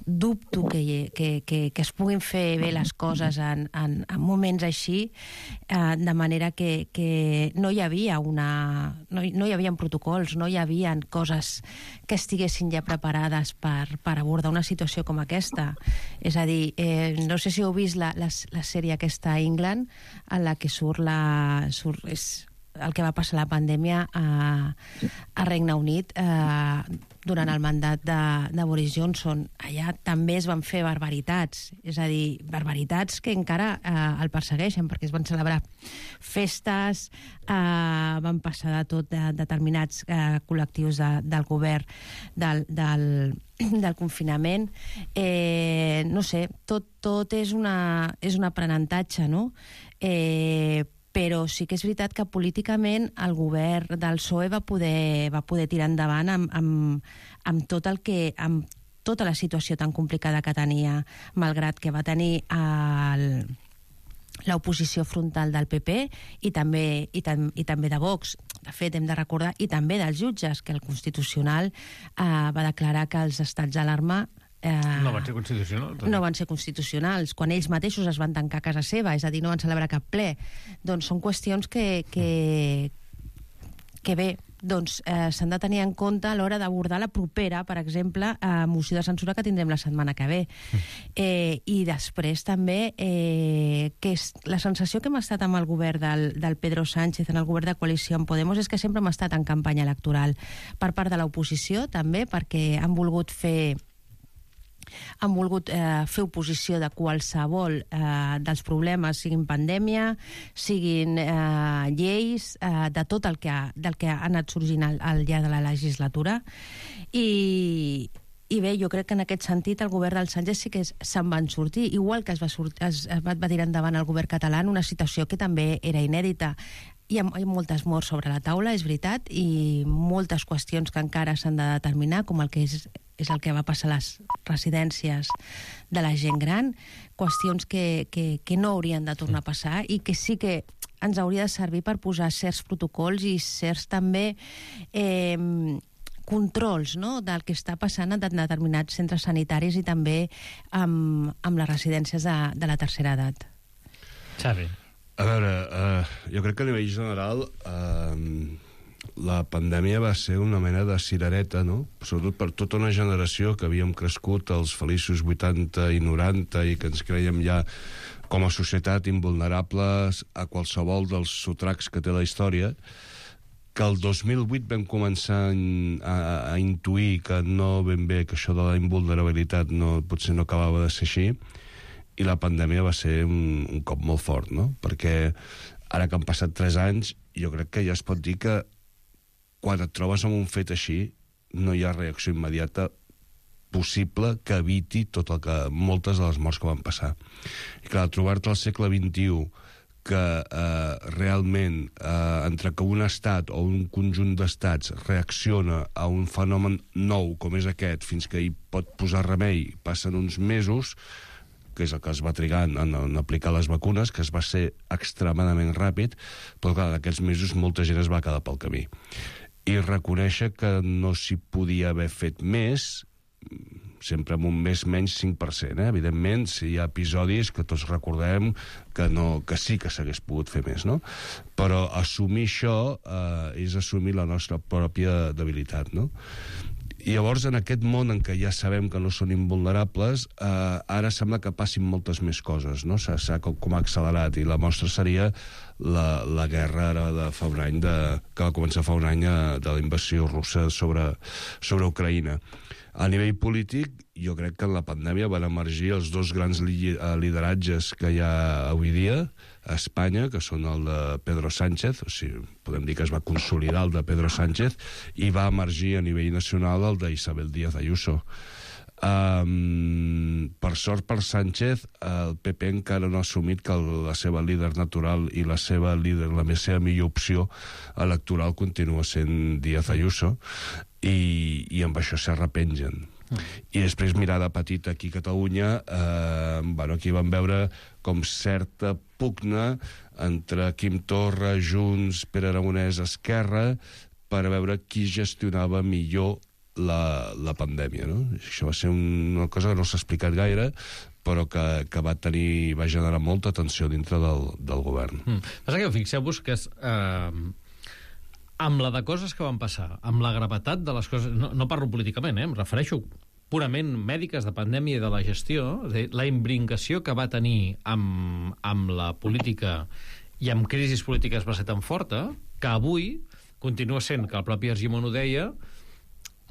dubto que, que, que, que es puguin fer bé les coses en, en, en moments així, eh, de manera que, que no hi havia una... No, no hi havia protocols, no hi havia coses que estiguessin ja preparades per, per abordar una situació com aquesta. És a dir, eh, no sé si heu vist la, la, la sèrie aquesta England, en la que surt la... Surt, és el que va passar la pandèmia a, a Regne Unit eh, durant el mandat de, de Boris Johnson. Allà també es van fer barbaritats, és a dir, barbaritats que encara eh, el persegueixen, perquè es van celebrar festes, eh, van passar de tot de determinats eh, col·lectius de, del govern del, del, del confinament. Eh, no sé, tot, tot és, una, és un aprenentatge, no? Eh, però sí que és veritat que políticament el govern del P S O E va poder, va poder tirar endavant amb, amb, amb tot el que... amb tota la situació tan complicada que tenia, malgrat que va tenir el, l'oposició frontal del P P i també, i, tam, i també de Vox. De fet, hem de recordar, i també dels jutges, que el Constitucional eh, va declarar que els estats d'alarma Eh, no van ser constitucionals. No van ser constitucionals, quan ells mateixos es van tancar a casa seva, és a dir, no van celebrar cap ple. Doncs són qüestions que, que, que bé, doncs eh, s'han de tenir en compte a l'hora d'abordar la propera, per exemple, eh, moció de censura que tindrem la setmana que ve. Eh, I després també eh, que és la sensació que hem estat amb el govern del, del Pedro Sánchez, en el govern de coalició amb Podemos, és que sempre hem estat en campanya electoral per part de l'oposició, també, perquè han volgut fer han volgut eh, fer oposició de qualsevol eh, dels problemes, siguin pandèmia, siguin eh, lleis, eh, de tot el que ha, del que ha anat sorgint al, al llarg de la legislatura. I, i bé, jo crec que en aquest sentit el govern del Sánchez sí que se'n van sortir, igual que es va, sortir, es, es va tirar endavant el govern català en una situació que també era inèdita. Hi ha, hi ha moltes morts sobre la taula, és veritat, i moltes qüestions que encara s'han de determinar, com el que és, és el que va passar a les residències de la gent gran, qüestions que, que, que no haurien de tornar a passar i que sí que ens hauria de servir per posar certs protocols i certs també eh, controls, no?, del que està passant en determinats centres sanitaris i també amb, amb les residències de, de la tercera edat. Xavi. A veure, uh, jo crec que a nivell general uh, la pandèmia va ser una mena de cirereta, no? Sobretot per tota una generació que havíem crescut als feliços vuitanta i noranta i que ens creiem ja com a societat invulnerables a qualsevol dels sotracs que té la història, que el dos mil vuit vam començar a, a intuir que no ben bé, que això de la invulnerabilitat no, potser no acabava de ser així, i la pandèmia va ser un, un cop molt fort, no? Perquè ara que han passat tres anys, jo crec que ja es pot dir que quan et trobes amb un fet així no hi ha reacció immediata possible que eviti tot el que, moltes de les morts que van passar. I clar, trobar-te al segle vint-i-u que eh, realment eh, entre que un estat o un conjunt d'estats reacciona a un fenomen nou com és aquest, fins que hi pot posar remei, passen uns mesos, que és el que es va trigar en, en, en aplicar les vacunes, que es va ser extremadament ràpid, però clar, d'aquests mesos molta gent es va quedar pel camí. I reconèixer que no s'hi podia haver fet més, sempre amb un més menys cinc per cent, eh? Evidentment, si hi ha episodis que tots recordem que, no, que sí que s'hagués pogut fer més, no? Però assumir això eh, és assumir la nostra pròpia debilitat, no? I llavors, en aquest món en què ja sabem que no són invulnerables, eh, ara sembla que passin moltes més coses, no? S'ha com, com accelerat, i la mostra seria la, la guerra ara de fa un any, de, que va començar fa un any eh, de la invasió russa sobre, sobre Ucraïna. A nivell polític, jo crec que en la pandèmia van emergir els dos grans li lideratges que hi ha avui dia a Espanya, que són el de Pedro Sánchez, o sigui, podem dir que es va consolidar el de Pedro Sánchez, i va emergir a nivell nacional el d'Isabel Díaz Ayuso. Um, per sort per Sánchez, el P P encara no ha assumit que la seva líder natural i la seva líder, la seva millor opció electoral continua sent Díaz Ayuso, i, i amb això s'arrepengen. Mm. I després, mirada petita aquí a Catalunya, eh, bueno, aquí vam veure com certa pugna entre Quim Torra, Junts, Pere Aragonès, Esquerra, per veure qui gestionava millor la, la pandèmia, no? Això va ser una cosa que no s'ha explicat gaire, però que, que va tenir, va generar molta tensió dintre del, del govern. Mm. Passa que fixeu-vos que és... Eh... amb la de coses que van passar, amb la gravetat de les coses... No, no parlo políticament, eh? Em refereixo purament mèdiques de pandèmia i de la gestió, de la imbrincació que va tenir amb, amb la política i amb crisis polítiques va ser tan forta que avui continua sent, que el propi Argimon ho deia,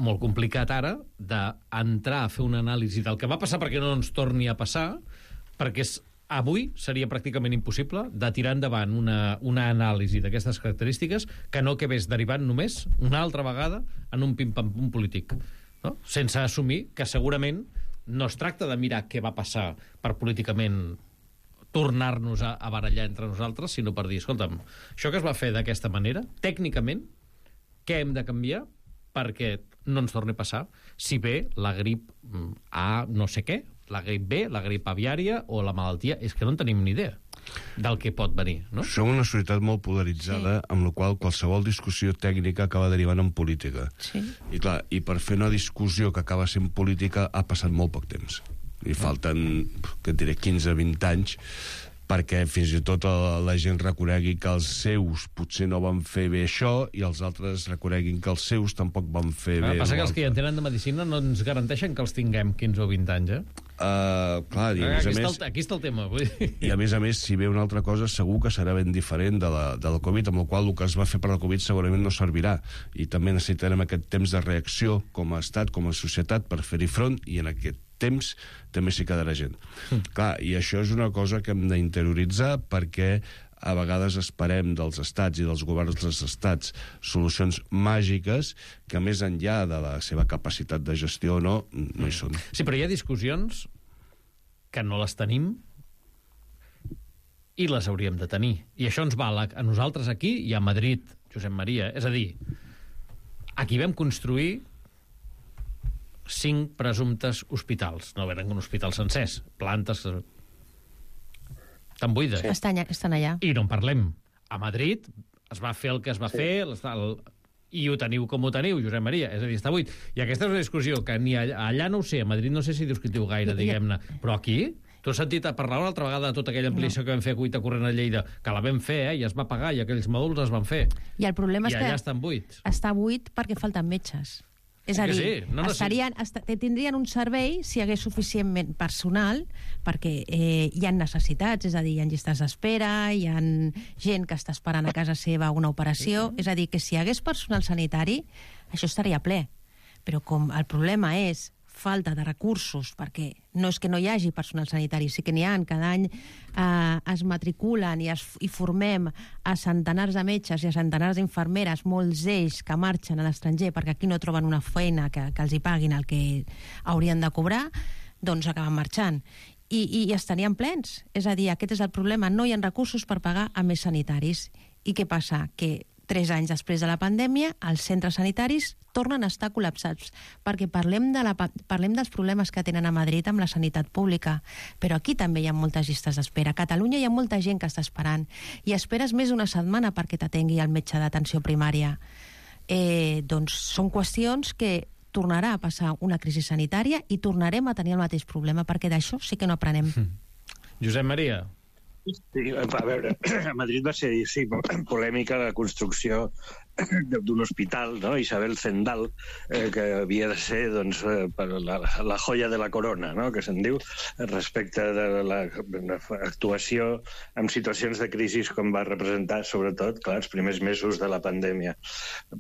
molt complicat ara d'entrar a fer una anàlisi del que va passar perquè no ens torni a passar, perquè és avui seria pràcticament impossible de tirar endavant una, una anàlisi d'aquestes característiques que no acabés derivant només una altra vegada en un pim-pam-pum polític, no? Sense assumir que segurament no es tracta de mirar què va passar per políticament tornar-nos a, a barallar entre nosaltres, sinó per dir, escolta'm, això que es va fer d'aquesta manera, tècnicament, què hem de canviar perquè no ens torni a passar, si bé la grip A no sé què, la grip B, la grip aviària o la malaltia, és que no en tenim ni idea del que pot venir, no? Som una societat molt polaritzada, sí, amb la qual qualsevol discussió tècnica acaba derivant en política. Sí. I clar, i per fer una discussió que acaba sent política ha passat molt poc temps. I falten, que et diré, quinze a vint anys perquè fins i tot la gent reconegui que els seus potser no van fer bé això i els altres reconeguin que els seus tampoc van fer bé. El que passa que els que hi entenen de medicina no ens garanteixen que els tinguem quinze o vint anys, eh? Uh, clar, i a més aquí, a més, està el, aquí està el tema. Vull dir. I a més a més, si ve una altra cosa, segur que serà ben diferent de la, de la Covid, amb la qual el que es va fer per la Covid segurament no servirà. I també necessitarem aquest temps de reacció com a estat, com a societat, per fer-hi front, i en aquest temps també s'hi quedarà gent. Mm. Clar, i això és una cosa que hem d'interioritzar perquè a vegades esperem dels estats i dels governs dels estats solucions màgiques que més enllà de la seva capacitat de gestió o no, no hi són. Sí, però hi ha discussions que no les tenim i les hauríem de tenir. I això ens val a, a nosaltres aquí i a Madrid, Josep Maria. És a dir, aquí vam construir cinc presumptes hospitals. No eren hospitals sencers, plantes tan buides. Sí. Estan, estan allà. I no en parlem. A Madrid es va fer el que es va sí. fer el, i ho teniu com ho teniu, Josep Maria. És a dir, està buit. I aquesta és una discussió que ni allà, allà no ho sé, a Madrid no sé si discutiu gaire, diguem-ne, però aquí... Tu has sentit a parlar una altra vegada de tota aquella ampliació no. que vam fer a Cuita Corrent a Lleida, que la vam fer, eh, i es va pagar, i aquells mòduls es van fer. I el problema I és que... allà estan buits. Està buit perquè falten metges. És a dir, sí. no, no, estarien, est tindrien un servei si hi hagués suficientment personal, perquè eh, hi ha necessitats, és a dir, hi ha llistes d'espera, hi ha gent que està esperant a casa seva una operació, mm-hmm. és a dir, que si hi hagués personal sanitari, això estaria ple. Però com el problema és falta de recursos, perquè no és que no hi hagi personal sanitari, sí que n'hi ha, cada any eh, es matriculen i, es, i formem a centenars de metges i a centenars d'infermeres, molts d'ells que marxen a l'estranger perquè aquí no troben una feina que, que els hi paguin el que haurien de cobrar, doncs acaben marxant. I, i, i estarien plens. És a dir, aquest és el problema, no hi ha recursos per pagar a més sanitaris. I què passa? Que tres anys després de la pandèmia, els centres sanitaris tornen a estar col·lapsats, perquè parlem, de la, parlem dels problemes que tenen a Madrid amb la sanitat pública, però aquí també hi ha moltes llistes d'espera. A Catalunya hi ha molta gent que està esperant, i esperes més d'una setmana perquè t'atengui el metge d'atenció primària. Eh, doncs són qüestions que tornarà a passar una crisi sanitària i tornarem a tenir el mateix problema, perquè d'això sí que no aprenem. Josep Maria. Sí, a veure, a Madrid va ser, sí, polèmica la construcció d'un hospital, no? Isabel Zendal, eh, que havia de ser doncs, la, la joia de la corona, no? Que se'n diu, respecte de l'actuació en situacions de crisi com va representar, sobretot, clar, els primers mesos de la pandèmia.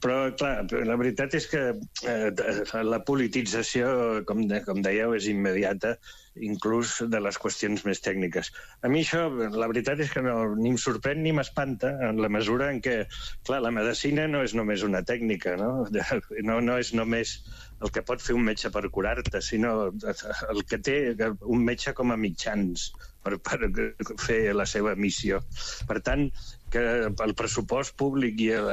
Però, clar, la veritat és que eh, la politització, com, de, com dèieu, és immediata, inclús de les qüestions més tècniques. A mi això, la veritat és que no, ni em sorprèn ni m'espanta, en la mesura en què, clar, la medicina no és només una tècnica, no? No, no és només el que pot fer un metge per curar-te, sinó el que té un metge com a mitjans per, per fer la seva missió. Per tant, que el pressupost públic i el,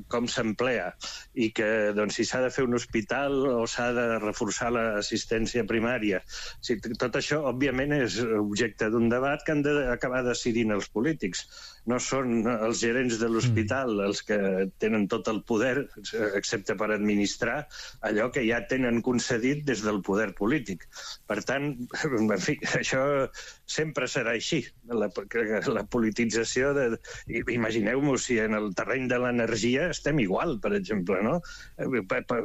com s'emplea i que doncs, si s'ha de fer un hospital o s'ha de reforçar l'assistència primària, si, tot això òbviament és objecte d'un debat que han d'acabar decidint els polítics. No són els gerents de l'hospital els que tenen tot el poder, excepte per administrar allò que ja tenen concedit des del poder polític. Per tant, en fi, això sempre serà així. La, la politització de... Imagineu-vos si en el terreny de l'energia estem igual, per exemple, no?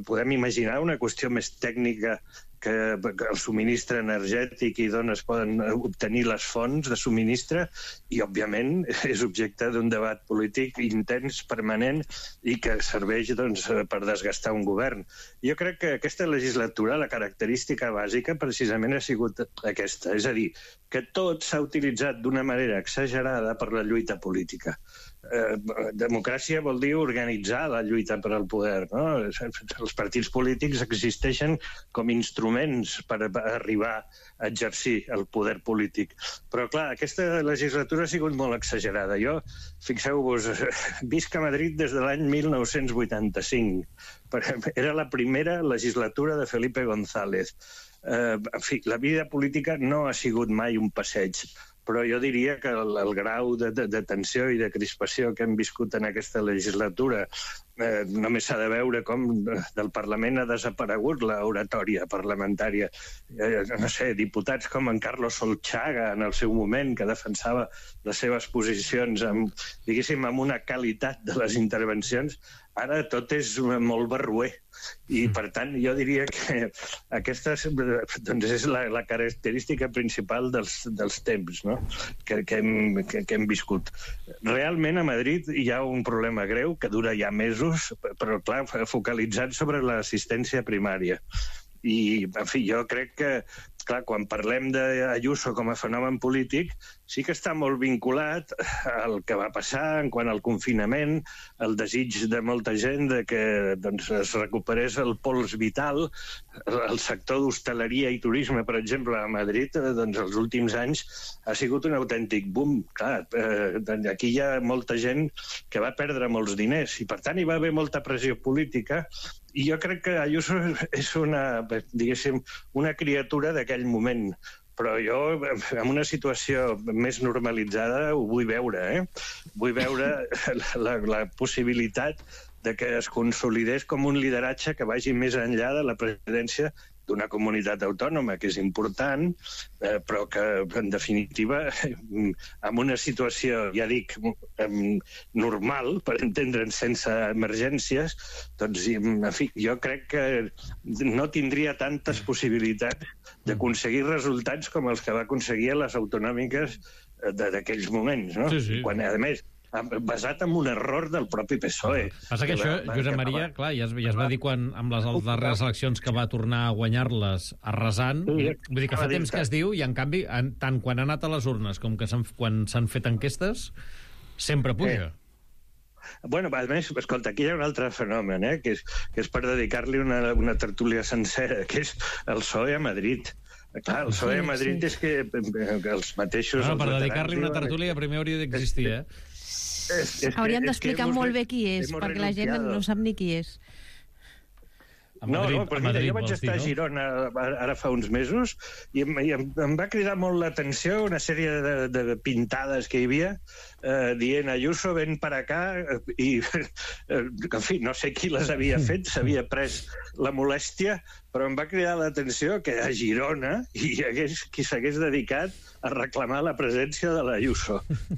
Podem imaginar una qüestió més tècnica que el subministre energètic i d'on es poden obtenir les fonts de subministre i, òbviament, és objecte d'un debat polític intens, permanent i que serveix doncs, per desgastar un govern. Jo crec que aquesta legislatura, la característica bàsica, precisament ha sigut aquesta, és a dir, que tot s'ha utilitzat d'una manera exagerada per la lluita política. Eh, democràcia vol dir organitzar la lluita per al poder, no? Els partits polítics existeixen com instruments per arribar a exercir el poder polític. Però, clar, aquesta legislatura ha sigut molt exagerada. Jo, fixeu-vos, visc a Madrid des de l'any mil nou-cents vuitanta-cinc. Era la primera legislatura de Felipe González. Eh, en fi, la vida política no ha sigut mai un passeig, però jo diria que el, el grau de, de, de tensió i de crispació que hem viscut en aquesta legislatura eh, només s'ha de veure com del Parlament ha desaparegut l'oratòria parlamentària. Eh, no sé, diputats com en Carlos Solchaga, en el seu moment, que defensava les seves posicions amb, diguéssim, amb una qualitat de les intervencions, ara tot és molt barroer. I, per tant, jo diria que aquesta doncs, és la, la característica principal dels, dels temps, no? que, que, hem, que, que hem viscut. Realment, a Madrid hi ha un problema greu que dura ja mesos, però, clar, focalitzat sobre l'assistència primària. I, en fi, jo crec que, clar, quan parlem d'Ayuso com a fenomen polític, sí que està molt vinculat al que va passar en quant al confinament, el desig de molta gent de que doncs, es recuperés el pols vital. El sector d'hostaleria i turisme, per exemple, a Madrid, doncs, els últims anys ha sigut un autèntic boom. Clar, eh, aquí hi ha molta gent que va perdre molts diners i, per tant, hi va haver molta pressió política. I jo crec que Ayuso és una, diguéssim, una criatura d'aquell moment. Però jo, en una situació més normalitzada, ho vull veure, eh? Vull veure la, la possibilitat de que es consolidés com un lideratge que vagi més enllà de la presidència d'una comunitat autònoma, que és important, eh, però que, en definitiva, en una situació, ja dic, normal, per entendre'n, sense emergències, doncs, en fi, jo crec que no tindria tantes possibilitats d'aconseguir resultats com els que va aconseguir a les autonòmiques d'aquells moments, no? Sí, sí. Quan, a més, basat en un error del propi P S O E. Passa que això, Josep Maria, clar, ja es, ja es va dir quan, amb les darreres eleccions que va tornar a guanyar-les arrasant, vull dir que fa temps que es diu, i en canvi, en, tant quan ha anat a les urnes com que quan s'han fet enquestes, sempre puja. Eh. Bueno, a més, escolta, aquí hi ha un altre fenomen, eh, que és, que és per dedicar-li una, una tertúlia sencera, que és el P S O E a Madrid. Clar, el P S O E a Madrid sí, sí. és que, que els mateixos... No, per dedicar-li una tertúlia primer hauria d'existir, eh? És, és Hauríem d'explicar molt bé qui és, perquè la gent no sap ni qui és. A Madrid, no, no, però mira, Madrid, jo vaig estar dir, no? a Girona ara fa uns mesos i em, i em, em va cridar molt l'atenció una sèrie de, de pintades que hi havia eh, dient Ayuso, ven per acá, i, eh, en fi, no sé qui les havia fet, s'havia pres la molèstia, però em va cridar l'atenció que a Girona hi hagués qui s'hagués dedicat a reclamar la presència de l'Ayuso.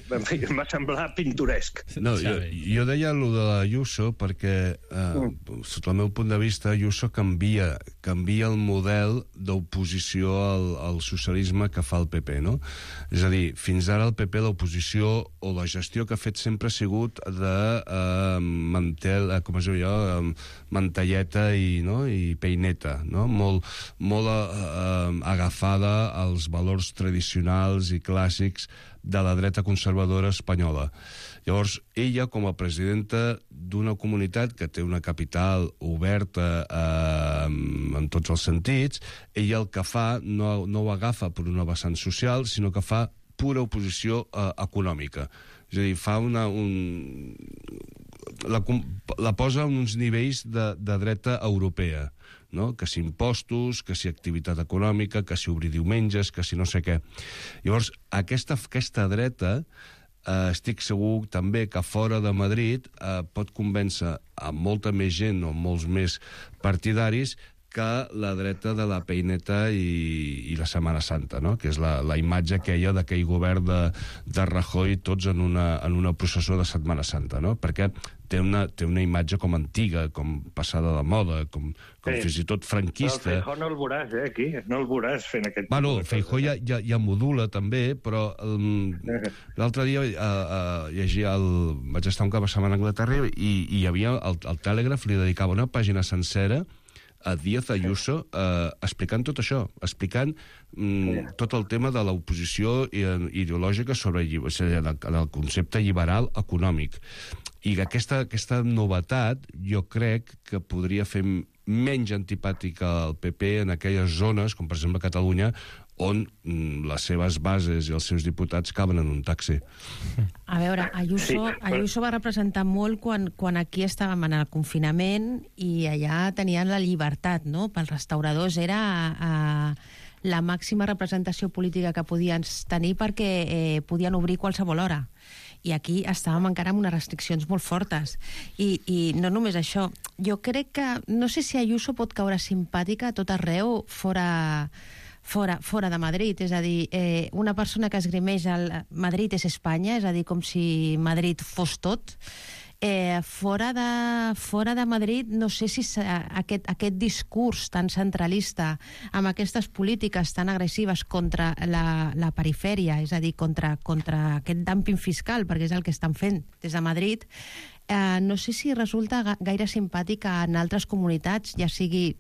En fi, em va semblar pintoresc. No, jo, jo deia allò de l'Ayuso perquè, eh, mm. sota el meu punt de vista, Ayuso canvia, canvia el model d'oposició al, al socialisme que fa el P P, no? És a dir, fins ara el P P, l'oposició o la gestió que ha fet sempre ha sigut de eh, mantel, eh, com es diu jo, eh, mantelleta i, no? i peineta, no? Molt, molt eh, agafada als valors tradicionals i clàssics de la dreta conservadora espanyola. Llavors, ella, com a presidenta d'una comunitat que té una capital oberta eh, en tots els sentits, ella el que fa no, no ho agafa per una vessant social, sinó que fa pura oposició eh, econòmica. És a dir, fa una... Un, la, la posa en uns nivells de, de dreta europea, no? Que si impostos, que si activitat econòmica, que si obrir diumenges, que si no sé què. Llavors, aquesta, aquesta dreta, eh, estic segur també que fora de Madrid eh, pot convèncer a molta més gent o molts més partidaris que la dreta de la peineta i, i la Setmana Santa, no? Que és la, la imatge aquella d'aquell govern de, de Rajoy tots en una, en una processó de Setmana Santa, no? Perquè té una, té una imatge com antiga, com passada de moda, com, com sí. fins i tot franquista. Però el Feijóo no el veuràs, eh, aquí. No el veuràs fent aquest... Bueno, el Feijóo ja, ja, ja modula, també, però um, l'altre dia uh, uh, llegia el... vaig estar un cap de setmana a Anglaterra i, i hi havia... El, el Telègraf li dedicava una pàgina sencera a Díaz Ayuso eh, explicant tot això, explicant mm, tot el tema de l'oposició ideològica sobre o sigui, el, el concepte liberal econòmic. I aquesta, aquesta novetat jo crec que podria fer menys antipàtica al P P en aquelles zones, com per exemple Catalunya, on mm, les seves bases i els seus diputats caben en un taxi. A veure, Ayuso, Ayuso va representar molt quan, quan aquí estàvem en el confinament i allà tenien la llibertat, no? Pels restauradors era eh, la màxima representació política que podien tenir perquè eh, podien obrir qualsevol hora. i aquí estàvem encara amb unes restriccions molt fortes. I, i no només això, jo crec que, no sé si Ayuso pot caure simpàtica a tot arreu fora, fora, fora de Madrid, és a dir, eh, una persona que esgrimeix el Madrid és Espanya, és a dir, com si Madrid fos tot. Eh, fora, de, fora de Madrid, no sé si aquest, aquest discurs tan centralista amb aquestes polítiques tan agressives contra la, la perifèria, és a dir, contra, contra aquest dumping fiscal, perquè és el que estan fent des de Madrid, eh, no sé si resulta gaire simpàtic en altres comunitats, ja sigui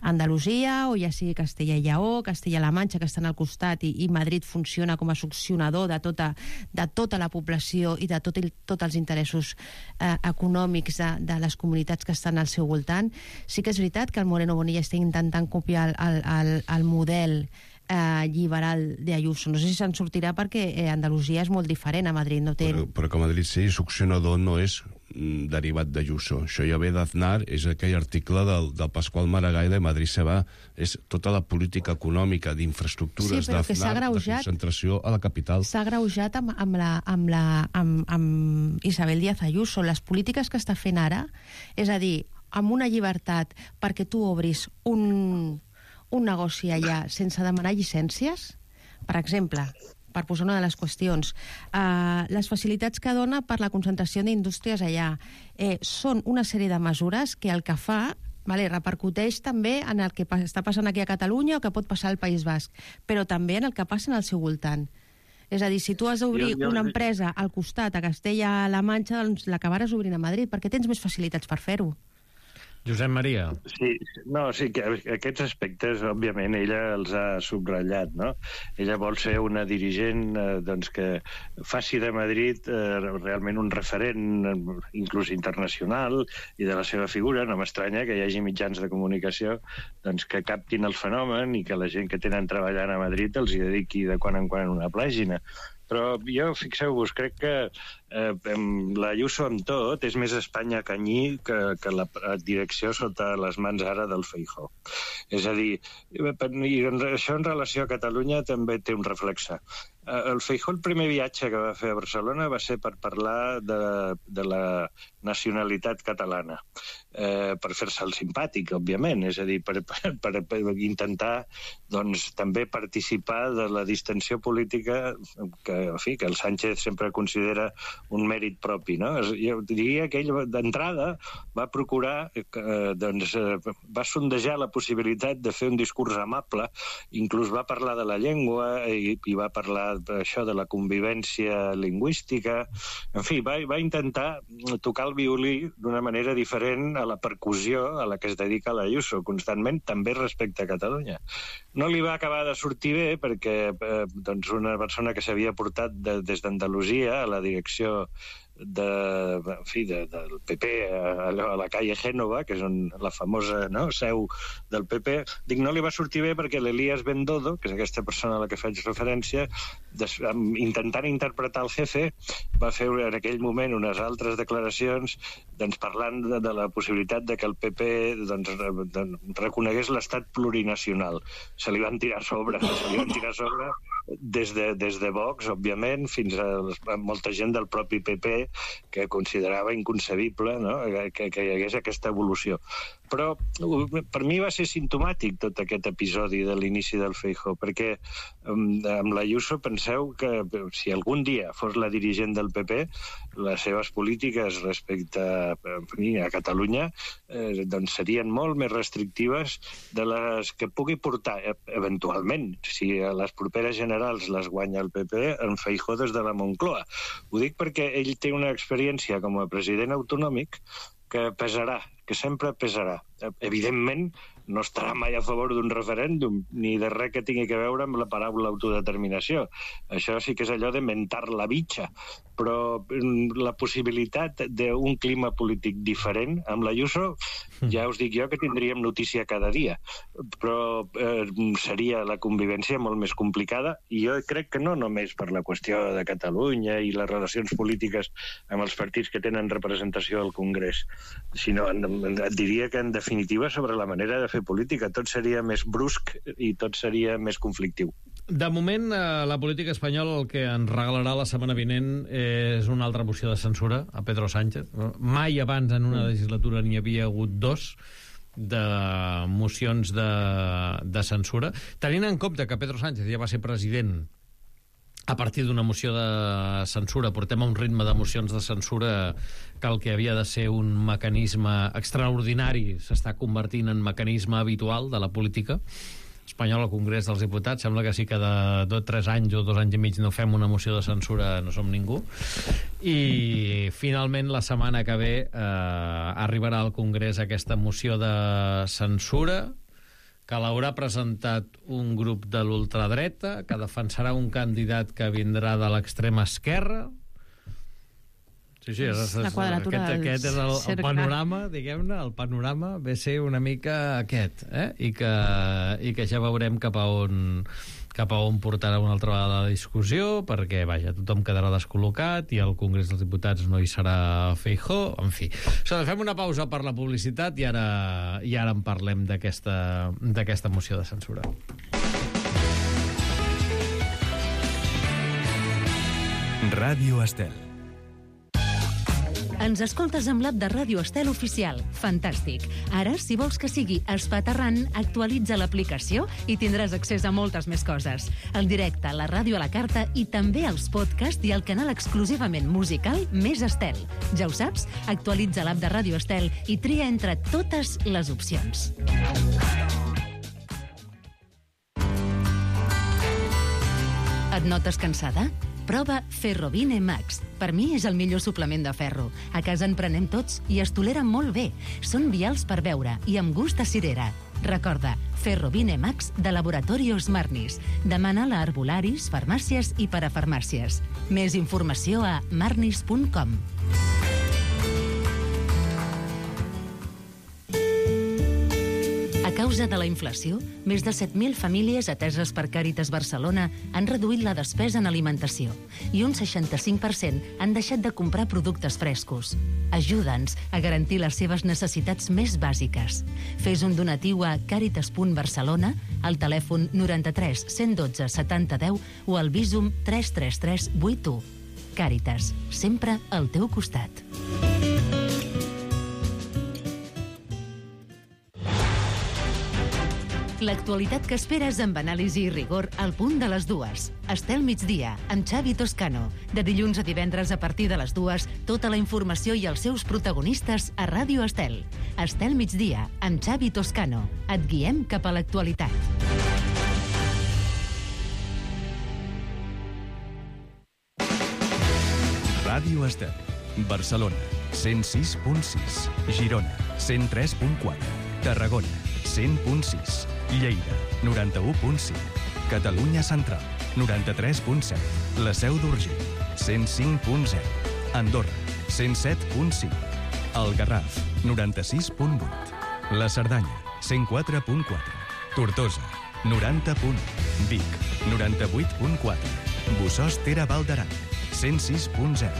Andalusia o ja sigui Castella i Lleó, Castella-La Manxa, que estan al costat, i, i Madrid funciona com a succionador de tota, de tota la població i de tot, tots els interessos eh, econòmics de, de les comunitats que estan al seu voltant. Sí que és veritat que el Moreno Bonilla està intentant copiar el, el, el model eh, liberal d'Ayuso. No sé si se'n sortirà perquè eh, Andalusia és molt diferent a Madrid. No té... però, però que Madrid sigui succionador no és derivat d'Ayuso. Això ja ve d'Aznar, és aquell article del, del Pasqual Maragall de Madrid se va, és tota la política econòmica d'infraestructures sí, d'Aznar, de concentració a la capital. S'ha greujat amb, amb, la, amb, la, amb, amb Isabel Díaz Ayuso. Les polítiques que està fent ara, és a dir, amb una llibertat perquè tu obris un, un negoci allà sense demanar llicències, per exemple, per posar una de les qüestions, uh, les facilitats que dona per la concentració d'indústries allà eh, són una sèrie de mesures que el que fa vale, repercuteix també en el que està passant aquí a Catalunya o que pot passar al País Basc, però també en el que passa al seu voltant. És a dir, si tu has d'obrir una empresa al costat, a Castella-La Manxa, doncs l'acabaràs obrint a Madrid, perquè tens més facilitats per fer-ho. Josep Maria. Sí, no, sí, que aquests aspectes, òbviament, ella els ha subratllat, no? Ella vol ser una dirigent eh, doncs, que faci de Madrid eh, realment un referent, eh, inclús internacional, i de la seva figura. No m'estranya que hi hagi mitjans de comunicació doncs, que captin el fenomen i que la gent que tenen treballant a Madrid els hi dediqui de quan en quan una pàgina. Però jo, fixeu-vos, crec que eh, la Ayuso amb tot és més Espanya canyí que, que la direcció sota les mans ara del Feijóo. És a dir, i això en relació a Catalunya també té un reflexe. El Feijóo, el primer viatge que va fer a Barcelona va ser per parlar de, de la nacionalitat catalana, eh, per fer-se el simpàtic, òbviament, és a dir, per, per, per intentar doncs, també participar de la distensió política que, en fi, que el Sánchez sempre considera un mèrit propi, no? Jo diria que ell d'entrada va procurar, eh, doncs, eh, va sondejar la possibilitat de fer un discurs amable, inclús va parlar de la llengua i, i va parlar això de la convivència lingüística, en fi, va, va intentar tocar el violí d'una manera diferent a la percussió a la que es dedica l'Ayuso constantment, també respecte a Catalunya. No li va acabar de sortir bé perquè eh, doncs una persona que s'havia portat de, des d'Andalusia a la direcció de, en fi, de, del P P a, a la calle Génova, que és on, la famosa no, seu del P P, dic, no li va sortir bé perquè l'Elías Bendodo, que és aquesta persona a la que faig referència, des, intentant interpretar el jefe, va fer en aquell moment unes altres declaracions doncs, parlant de, de la possibilitat de que el P P doncs, de, reconegués l'estat plurinacional. Se li van tirar a sobre, se li van tirar a sobre des de, des de Vox, òbviament, fins a, a molta gent del propi P P que considerava inconcebible, no? que, que hi hagués aquesta evolució. Però per mi va ser simptomàtic tot aquest episodi de l'inici del Feijóo, perquè amb l'Ayuso penseu que si algun dia fos la dirigent del P P, les seves polítiques respecte a, a Catalunya eh, doncs serien molt més restrictives de les que pugui portar eventualment, si a les properes generals les guanya el P P, en Feijóo des de la Moncloa. Ho dic perquè ell té una experiència com a president autonòmic que pesarà, que sempre pesarà. Evidentment, no estarà mai a favor d'un referèndum, ni de res que tingui a veure amb la paraula autodeterminació. Això sí que és allò de mentar la bitxa. Però la possibilitat d'un clima polític diferent, amb l'Ayuso, ja us dic jo que tindríem notícia cada dia. Però eh, seria la convivència molt més complicada, i jo crec que no només per la qüestió de Catalunya i les relacions polítiques amb els partits que tenen representació al Congrés, sinó et diria que en definitiva sobre la manera de fer política tot seria més brusc i tot seria més conflictiu. De moment, eh, la política espanyola el que ens regalarà la setmana vinent és una altra moció de censura a Pedro Sánchez. Mai abans en una legislatura n'hi havia hagut dos de mocions de, de censura. Tenint en compte que Pedro Sánchez ja va ser president a partir d'una moció de censura, portem a un ritme de mocions de censura que el que havia de ser un mecanisme extraordinari s'està convertint en mecanisme habitual de la política espanyola al Congrés dels Diputats. Sembla que sí que de dos, tres anys o dos anys i mig no fem una moció de censura, no som ningú. I finalment la setmana que ve eh, arribarà al Congrés aquesta moció de censura que l'haurà presentat un grup de l'ultradreta, que defensarà un candidat que vindrà de l'extrema esquerra. Sí, sí, és, és, la quadratura aquest, aquest és el, el cercle. panorama, diguem-ne, el panorama ve a ser una mica aquest, eh? I que, i que ja veurem cap a on cap a on portarà una altra vegada la discussió, perquè, vaja, tothom quedarà descol·locat i al Congrés dels Diputats no hi serà Feijóo, en fi. O sigui, fem una pausa per la publicitat i ara, i ara en parlem d'aquesta d'aquesta moció de censura. Ràdio Estel. Ens escoltes amb l'app de Ràdio Estel Oficial. Fantàstic. Ara, si vols que sigui espaterrant, actualitza l'aplicació i tindràs accés a moltes més coses. El directe, la ràdio a la carta i també els podcasts i el canal exclusivament musical Més Estel. Ja ho saps? Actualitza l'app de Ràdio Estel i tria entre totes les opcions. Et notes cansada? Prova Ferrovine Max. Per mi és el millor suplement de ferro. A casa en prenem tots i es toleren molt bé. Són vials per beure i amb gust de cirera. Recorda, Ferrovine Max de Laboratorios Marnis. Demana-la a arbolaris, farmàcies i parafarmàcies. Més informació a marnis punt com. A causa de la inflació, més de set mil famílies ateses per Càritas Barcelona han reduït la despesa en alimentació i un seixanta-cinc per cent han deixat de comprar productes frescos. Ajuda'ns a garantir les seves necessitats més bàsiques. Fes un donatiu a càritas punt barcelona, al telèfon noranta-tres cent dotze setanta deu o al Bizum tres tres tres vuit u. Càritas, sempre al teu costat. L'actualitat que esperes amb anàlisi i rigor al punt de les dues. Estel migdia, amb Xavi Toscano. De dilluns a divendres a partir de les dues, tota la informació i els seus protagonistes a Ràdio Estel. Estel migdia, amb Xavi Toscano. Et guiem cap a l'actualitat. Ràdio Estel. Barcelona, cent sis punt sis. Girona, cent tres punt quatre. Tarragona, cent punt sis. Lleida, noranta-u punt cinc. Catalunya Central, noranta-tres punt set. La Seu d'Urgell, cent cinc punt zero. Andorra, cent set punt cinc. El Garraf, noranta-sis punt vuit. La Cerdanya, cent quatre punt quatre. Tortosa, noranta punt u. Vic, noranta-vuit punt quatre. Bossòst Tere Val d'Aran, cent sis punt zero.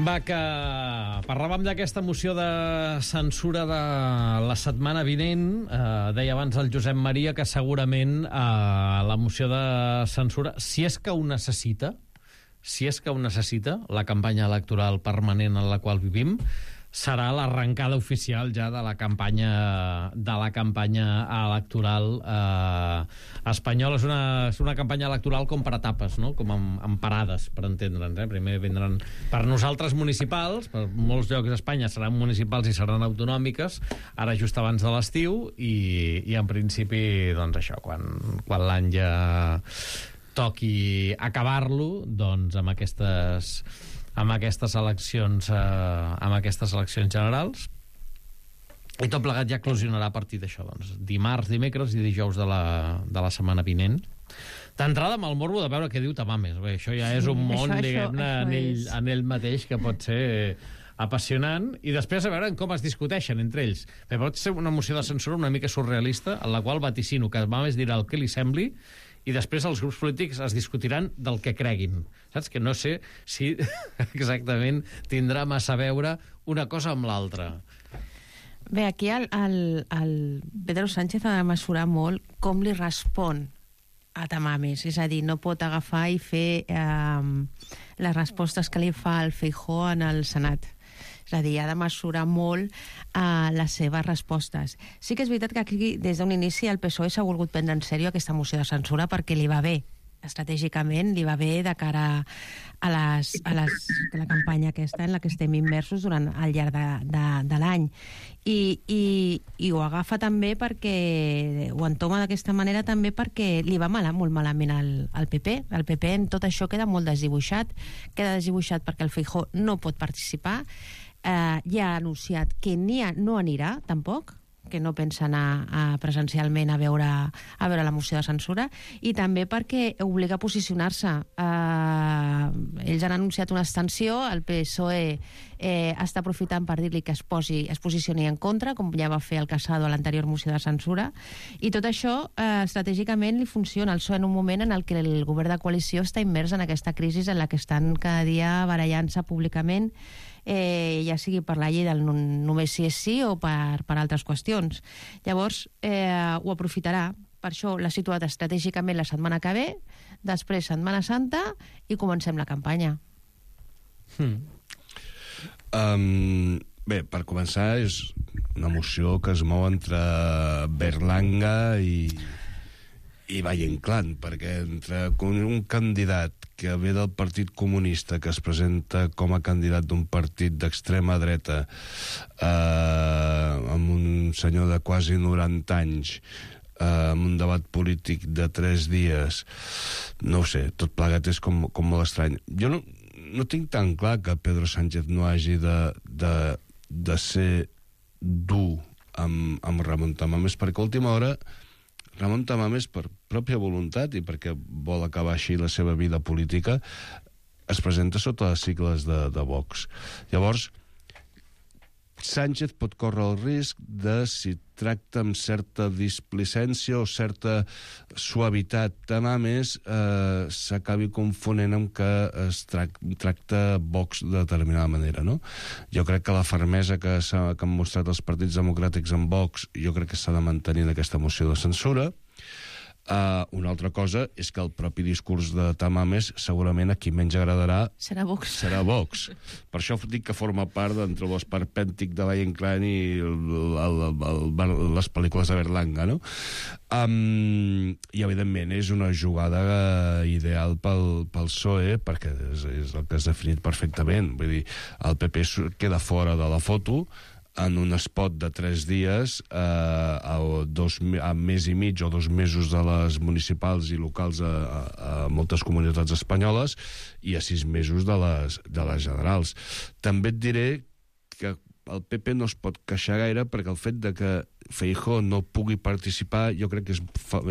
Va, que parlàvem d'aquesta moció de censura de la setmana vinent. Eh, deia abans el Josep Maria que segurament eh, la moció de censura, si és que ho necessita, si és que ho necessita, la campanya electoral permanent en la qual vivim, serà l'arrencada oficial ja de la campanya de la campanya electoral eh, espanyola. És una, és una campanya electoral com per etapes, no? Com amb, amb parades, per entendre'ns. Eh? Primer vindran per nosaltres municipals, per molts llocs d'Espanya seran municipals i seran autonòmiques, ara just abans de l'estiu, i, i en principi, doncs això, quan, quan l'any ja toqui acabar-lo, doncs amb aquestes amb aquestes eleccions, eh, amb aquestes eleccions generals. I tot plegat ja eclosionarà a partir d'això, doncs, dimarts, dimecres i dijous de la, de la setmana vinent. D'entrada amb el morbo de veure què diu Tamames. Bé, això ja és un món, això, diguem-ne, això, en, ell, és... en ell mateix, que pot ser apassionant, i després a veure com es discuteixen entre ells. Bé, pot ser una moció de censura una mica surrealista, en la qual vaticino que Tamames dirà el que li sembli, i després els grups polítics es discutiran del que creguin. Saps? Que no sé si exactament tindrà massa a veure una cosa amb l'altra. Bé, aquí el, el, el Pedro Sánchez ha de mesurar molt com li respon a Tamames, és a dir, no pot agafar i fer eh, les respostes que li fa el Feijóo en el Senat. És a dir, ha de mesurar molt eh, les seves respostes. Sí que és veritat que aquí, des d'un inici, el P S O E s'ha volgut prendre en sèrio aquesta moció de censura perquè li va bé, estratègicament li va bé de cara a, les, a, les, a la campanya aquesta en la que estem immersos durant al llarg de, de, de l'any. I, i, i ho agafa també perquè, ho entoma d'aquesta manera també perquè li va mal, molt malament al, al P P. El P P en tot això queda molt desdibuixat, queda desdibuixat perquè el Feijóo no pot participar, eh, ja ha anunciat que ni a, no anirà tampoc, que no pensa anar a, presencialment a veure, a veure la moció de censura, i també perquè obliga a posicionar-se. Eh, ells han anunciat una abstenció, el P S O E eh, està aprofitant per dir-li que es, posi, es posicioni en contra, com ja va fer el Casado a l'anterior moció de censura, i tot això eh, estratègicament li funciona. El P S O E en un moment en el que el govern de coalició està immers en aquesta crisi en la que estan cada dia barallant-se públicament, Eh, ja sigui per la llei del només sí és sí o per, per altres qüestions. Llavors, eh, ho aprofitarà. Per això l'ha situat estratègicament la setmana que ve, després Setmana Santa, i comencem la campanya. Hmm. Um, bé, per començar, és una moció que es mou entre Berlanga i, i Valle Inclán, perquè entre un candidat que ve del Partit Comunista, que es presenta com a candidat d'un partit d'extrema dreta, eh, amb un senyor de quasi noranta anys, eh, amb un debat polític de tres dies, no ho sé, tot plegat és com, com molt estrany. Jo no, no tinc tan clar que Pedro Sánchez no hagi de, de, de ser dur amb, amb Ramon Tamames, perquè a última hora Ramon Tamames, per pròpia voluntat i perquè vol acabar així la seva vida política, es presenta sota les sigles de, de Vox. Llavors, Sánchez pot córrer el risc de, si tracta amb certa displicència o certa suavitat Tamames, eh, s'acabi confonent amb que es trac, tracta Vox de determinada manera, no? Jo crec que la fermesa que, que han mostrat els partits democràtics en Vox, jo crec que s'ha de mantenir en aquesta moció de censura. Uh, una altra cosa és que el propi discurs de Tamames segurament a qui menys agradarà serà Vox. Serà Vox. Per això dic que forma part d'entre l'esperpèntic de Valle Inclán i el, el, el, el, les pel·lícules de Berlanga, no? Um, I, evidentment, és una jugada ideal pel, pel P S O E, perquè és, és el que has definit perfectament. Vull dir, el P P queda fora de la foto en un spot de tres dies eh, a, dos, a mes i mig o dos mesos de les municipals i locals a, a, a moltes comunitats espanyoles i a sis mesos de les, de les generals. També et diré que el P P no es pot queixar gaire perquè el fet de que Feijóo no pugui participar jo crec que és,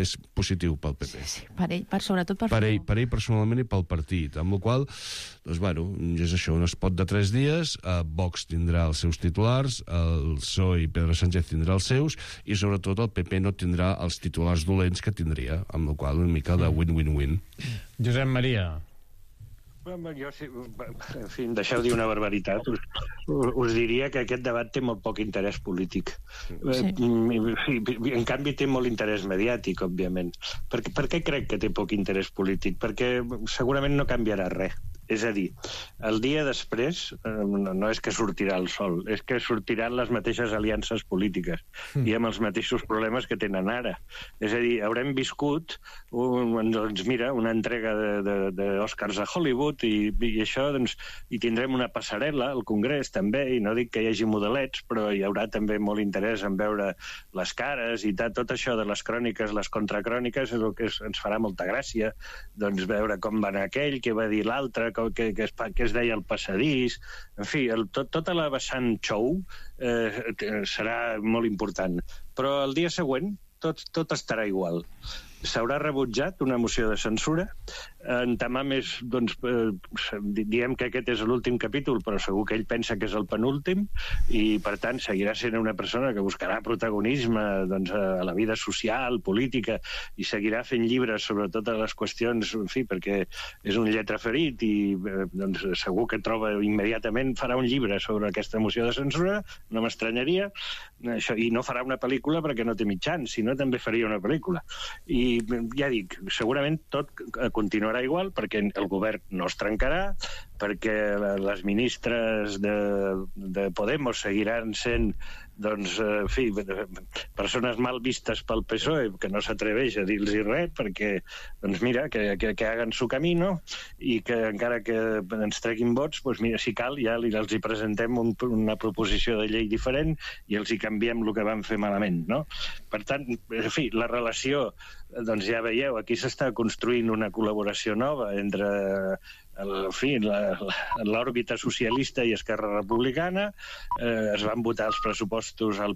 és positiu pel P P. Sí, sí, per ell, per, sobretot per, per ell, per ell personalment i pel partit, amb la qual doncs, bueno, és això, un spot de tres dies, eh, Vox tindrà els seus titulars, el P S O E i Pedro Sánchez tindrà els seus, i sobretot el P P no tindrà els titulars dolents que tindria, amb la qual una mica de win-win-win. Josep Maria. Jo, sí, en fi, deixeu dir una barbaritat. Us, us diria que aquest debat té molt poc interès polític. Sí. En canvi, té molt interès mediàtic, òbviament. Per, per què crec que té poc interès polític? Perquè segurament no canviarà res. És a dir, el dia després no, no és que sortirà el sol, és que sortiran les mateixes aliances polítiques mm. i amb els mateixos problemes que tenen ara. És a dir, haurem viscut un, doncs mira, una entrega d'Oscars a Hollywood i, i això, doncs, i tindrem una passarel·la al Congrés també, i no dic que hi hagi modelets, però hi haurà també molt interès en veure les cares i tot, tot això de les cròniques, les contracròniques, és el que ens farà molta gràcia, doncs veure com va anar aquell, què va dir l'altre, com que, que, es, que es deia el passadís, en fi, el, tot, tota la vessant show eh, serà molt important. Però el dia següent tot, tot estarà igual. S'haurà rebutjat una moció de censura. En Tamames, doncs, eh, diem que aquest és l'últim capítol, però segur que ell pensa que és el penúltim, i, per tant, seguirà sent una persona que buscarà protagonisme doncs, a la vida social, política, i seguirà fent llibres sobre totes les qüestions, en fi, perquè és un lletraferit i eh, doncs, segur que troba immediatament, farà un llibre sobre aquesta moció de censura, no m'estranyaria, això, i no farà una pel·lícula perquè no té mitjans, sinó també faria una pel·lícula. I ja dic, segurament tot continuarà igual perquè el govern no es trencarà, perquè les ministres de, de Podemos seguiran sent doncs, en fi, persones mal vistes pel P S O E, que no s'atreveix a dir-los res, perquè, doncs mira, que, que, que hagan su camino, i que encara que ens treguin vots, doncs mira, si cal, ja els hi presentem un, una proposició de llei diferent i els hi canviem el que van fer malament, no? Per tant, en fi, la relació, doncs ja veieu, aquí s'està construint una col·laboració nova entre en fi, l'òrbita socialista i Esquerra Republicana. Eh, es van votar els pressupostos al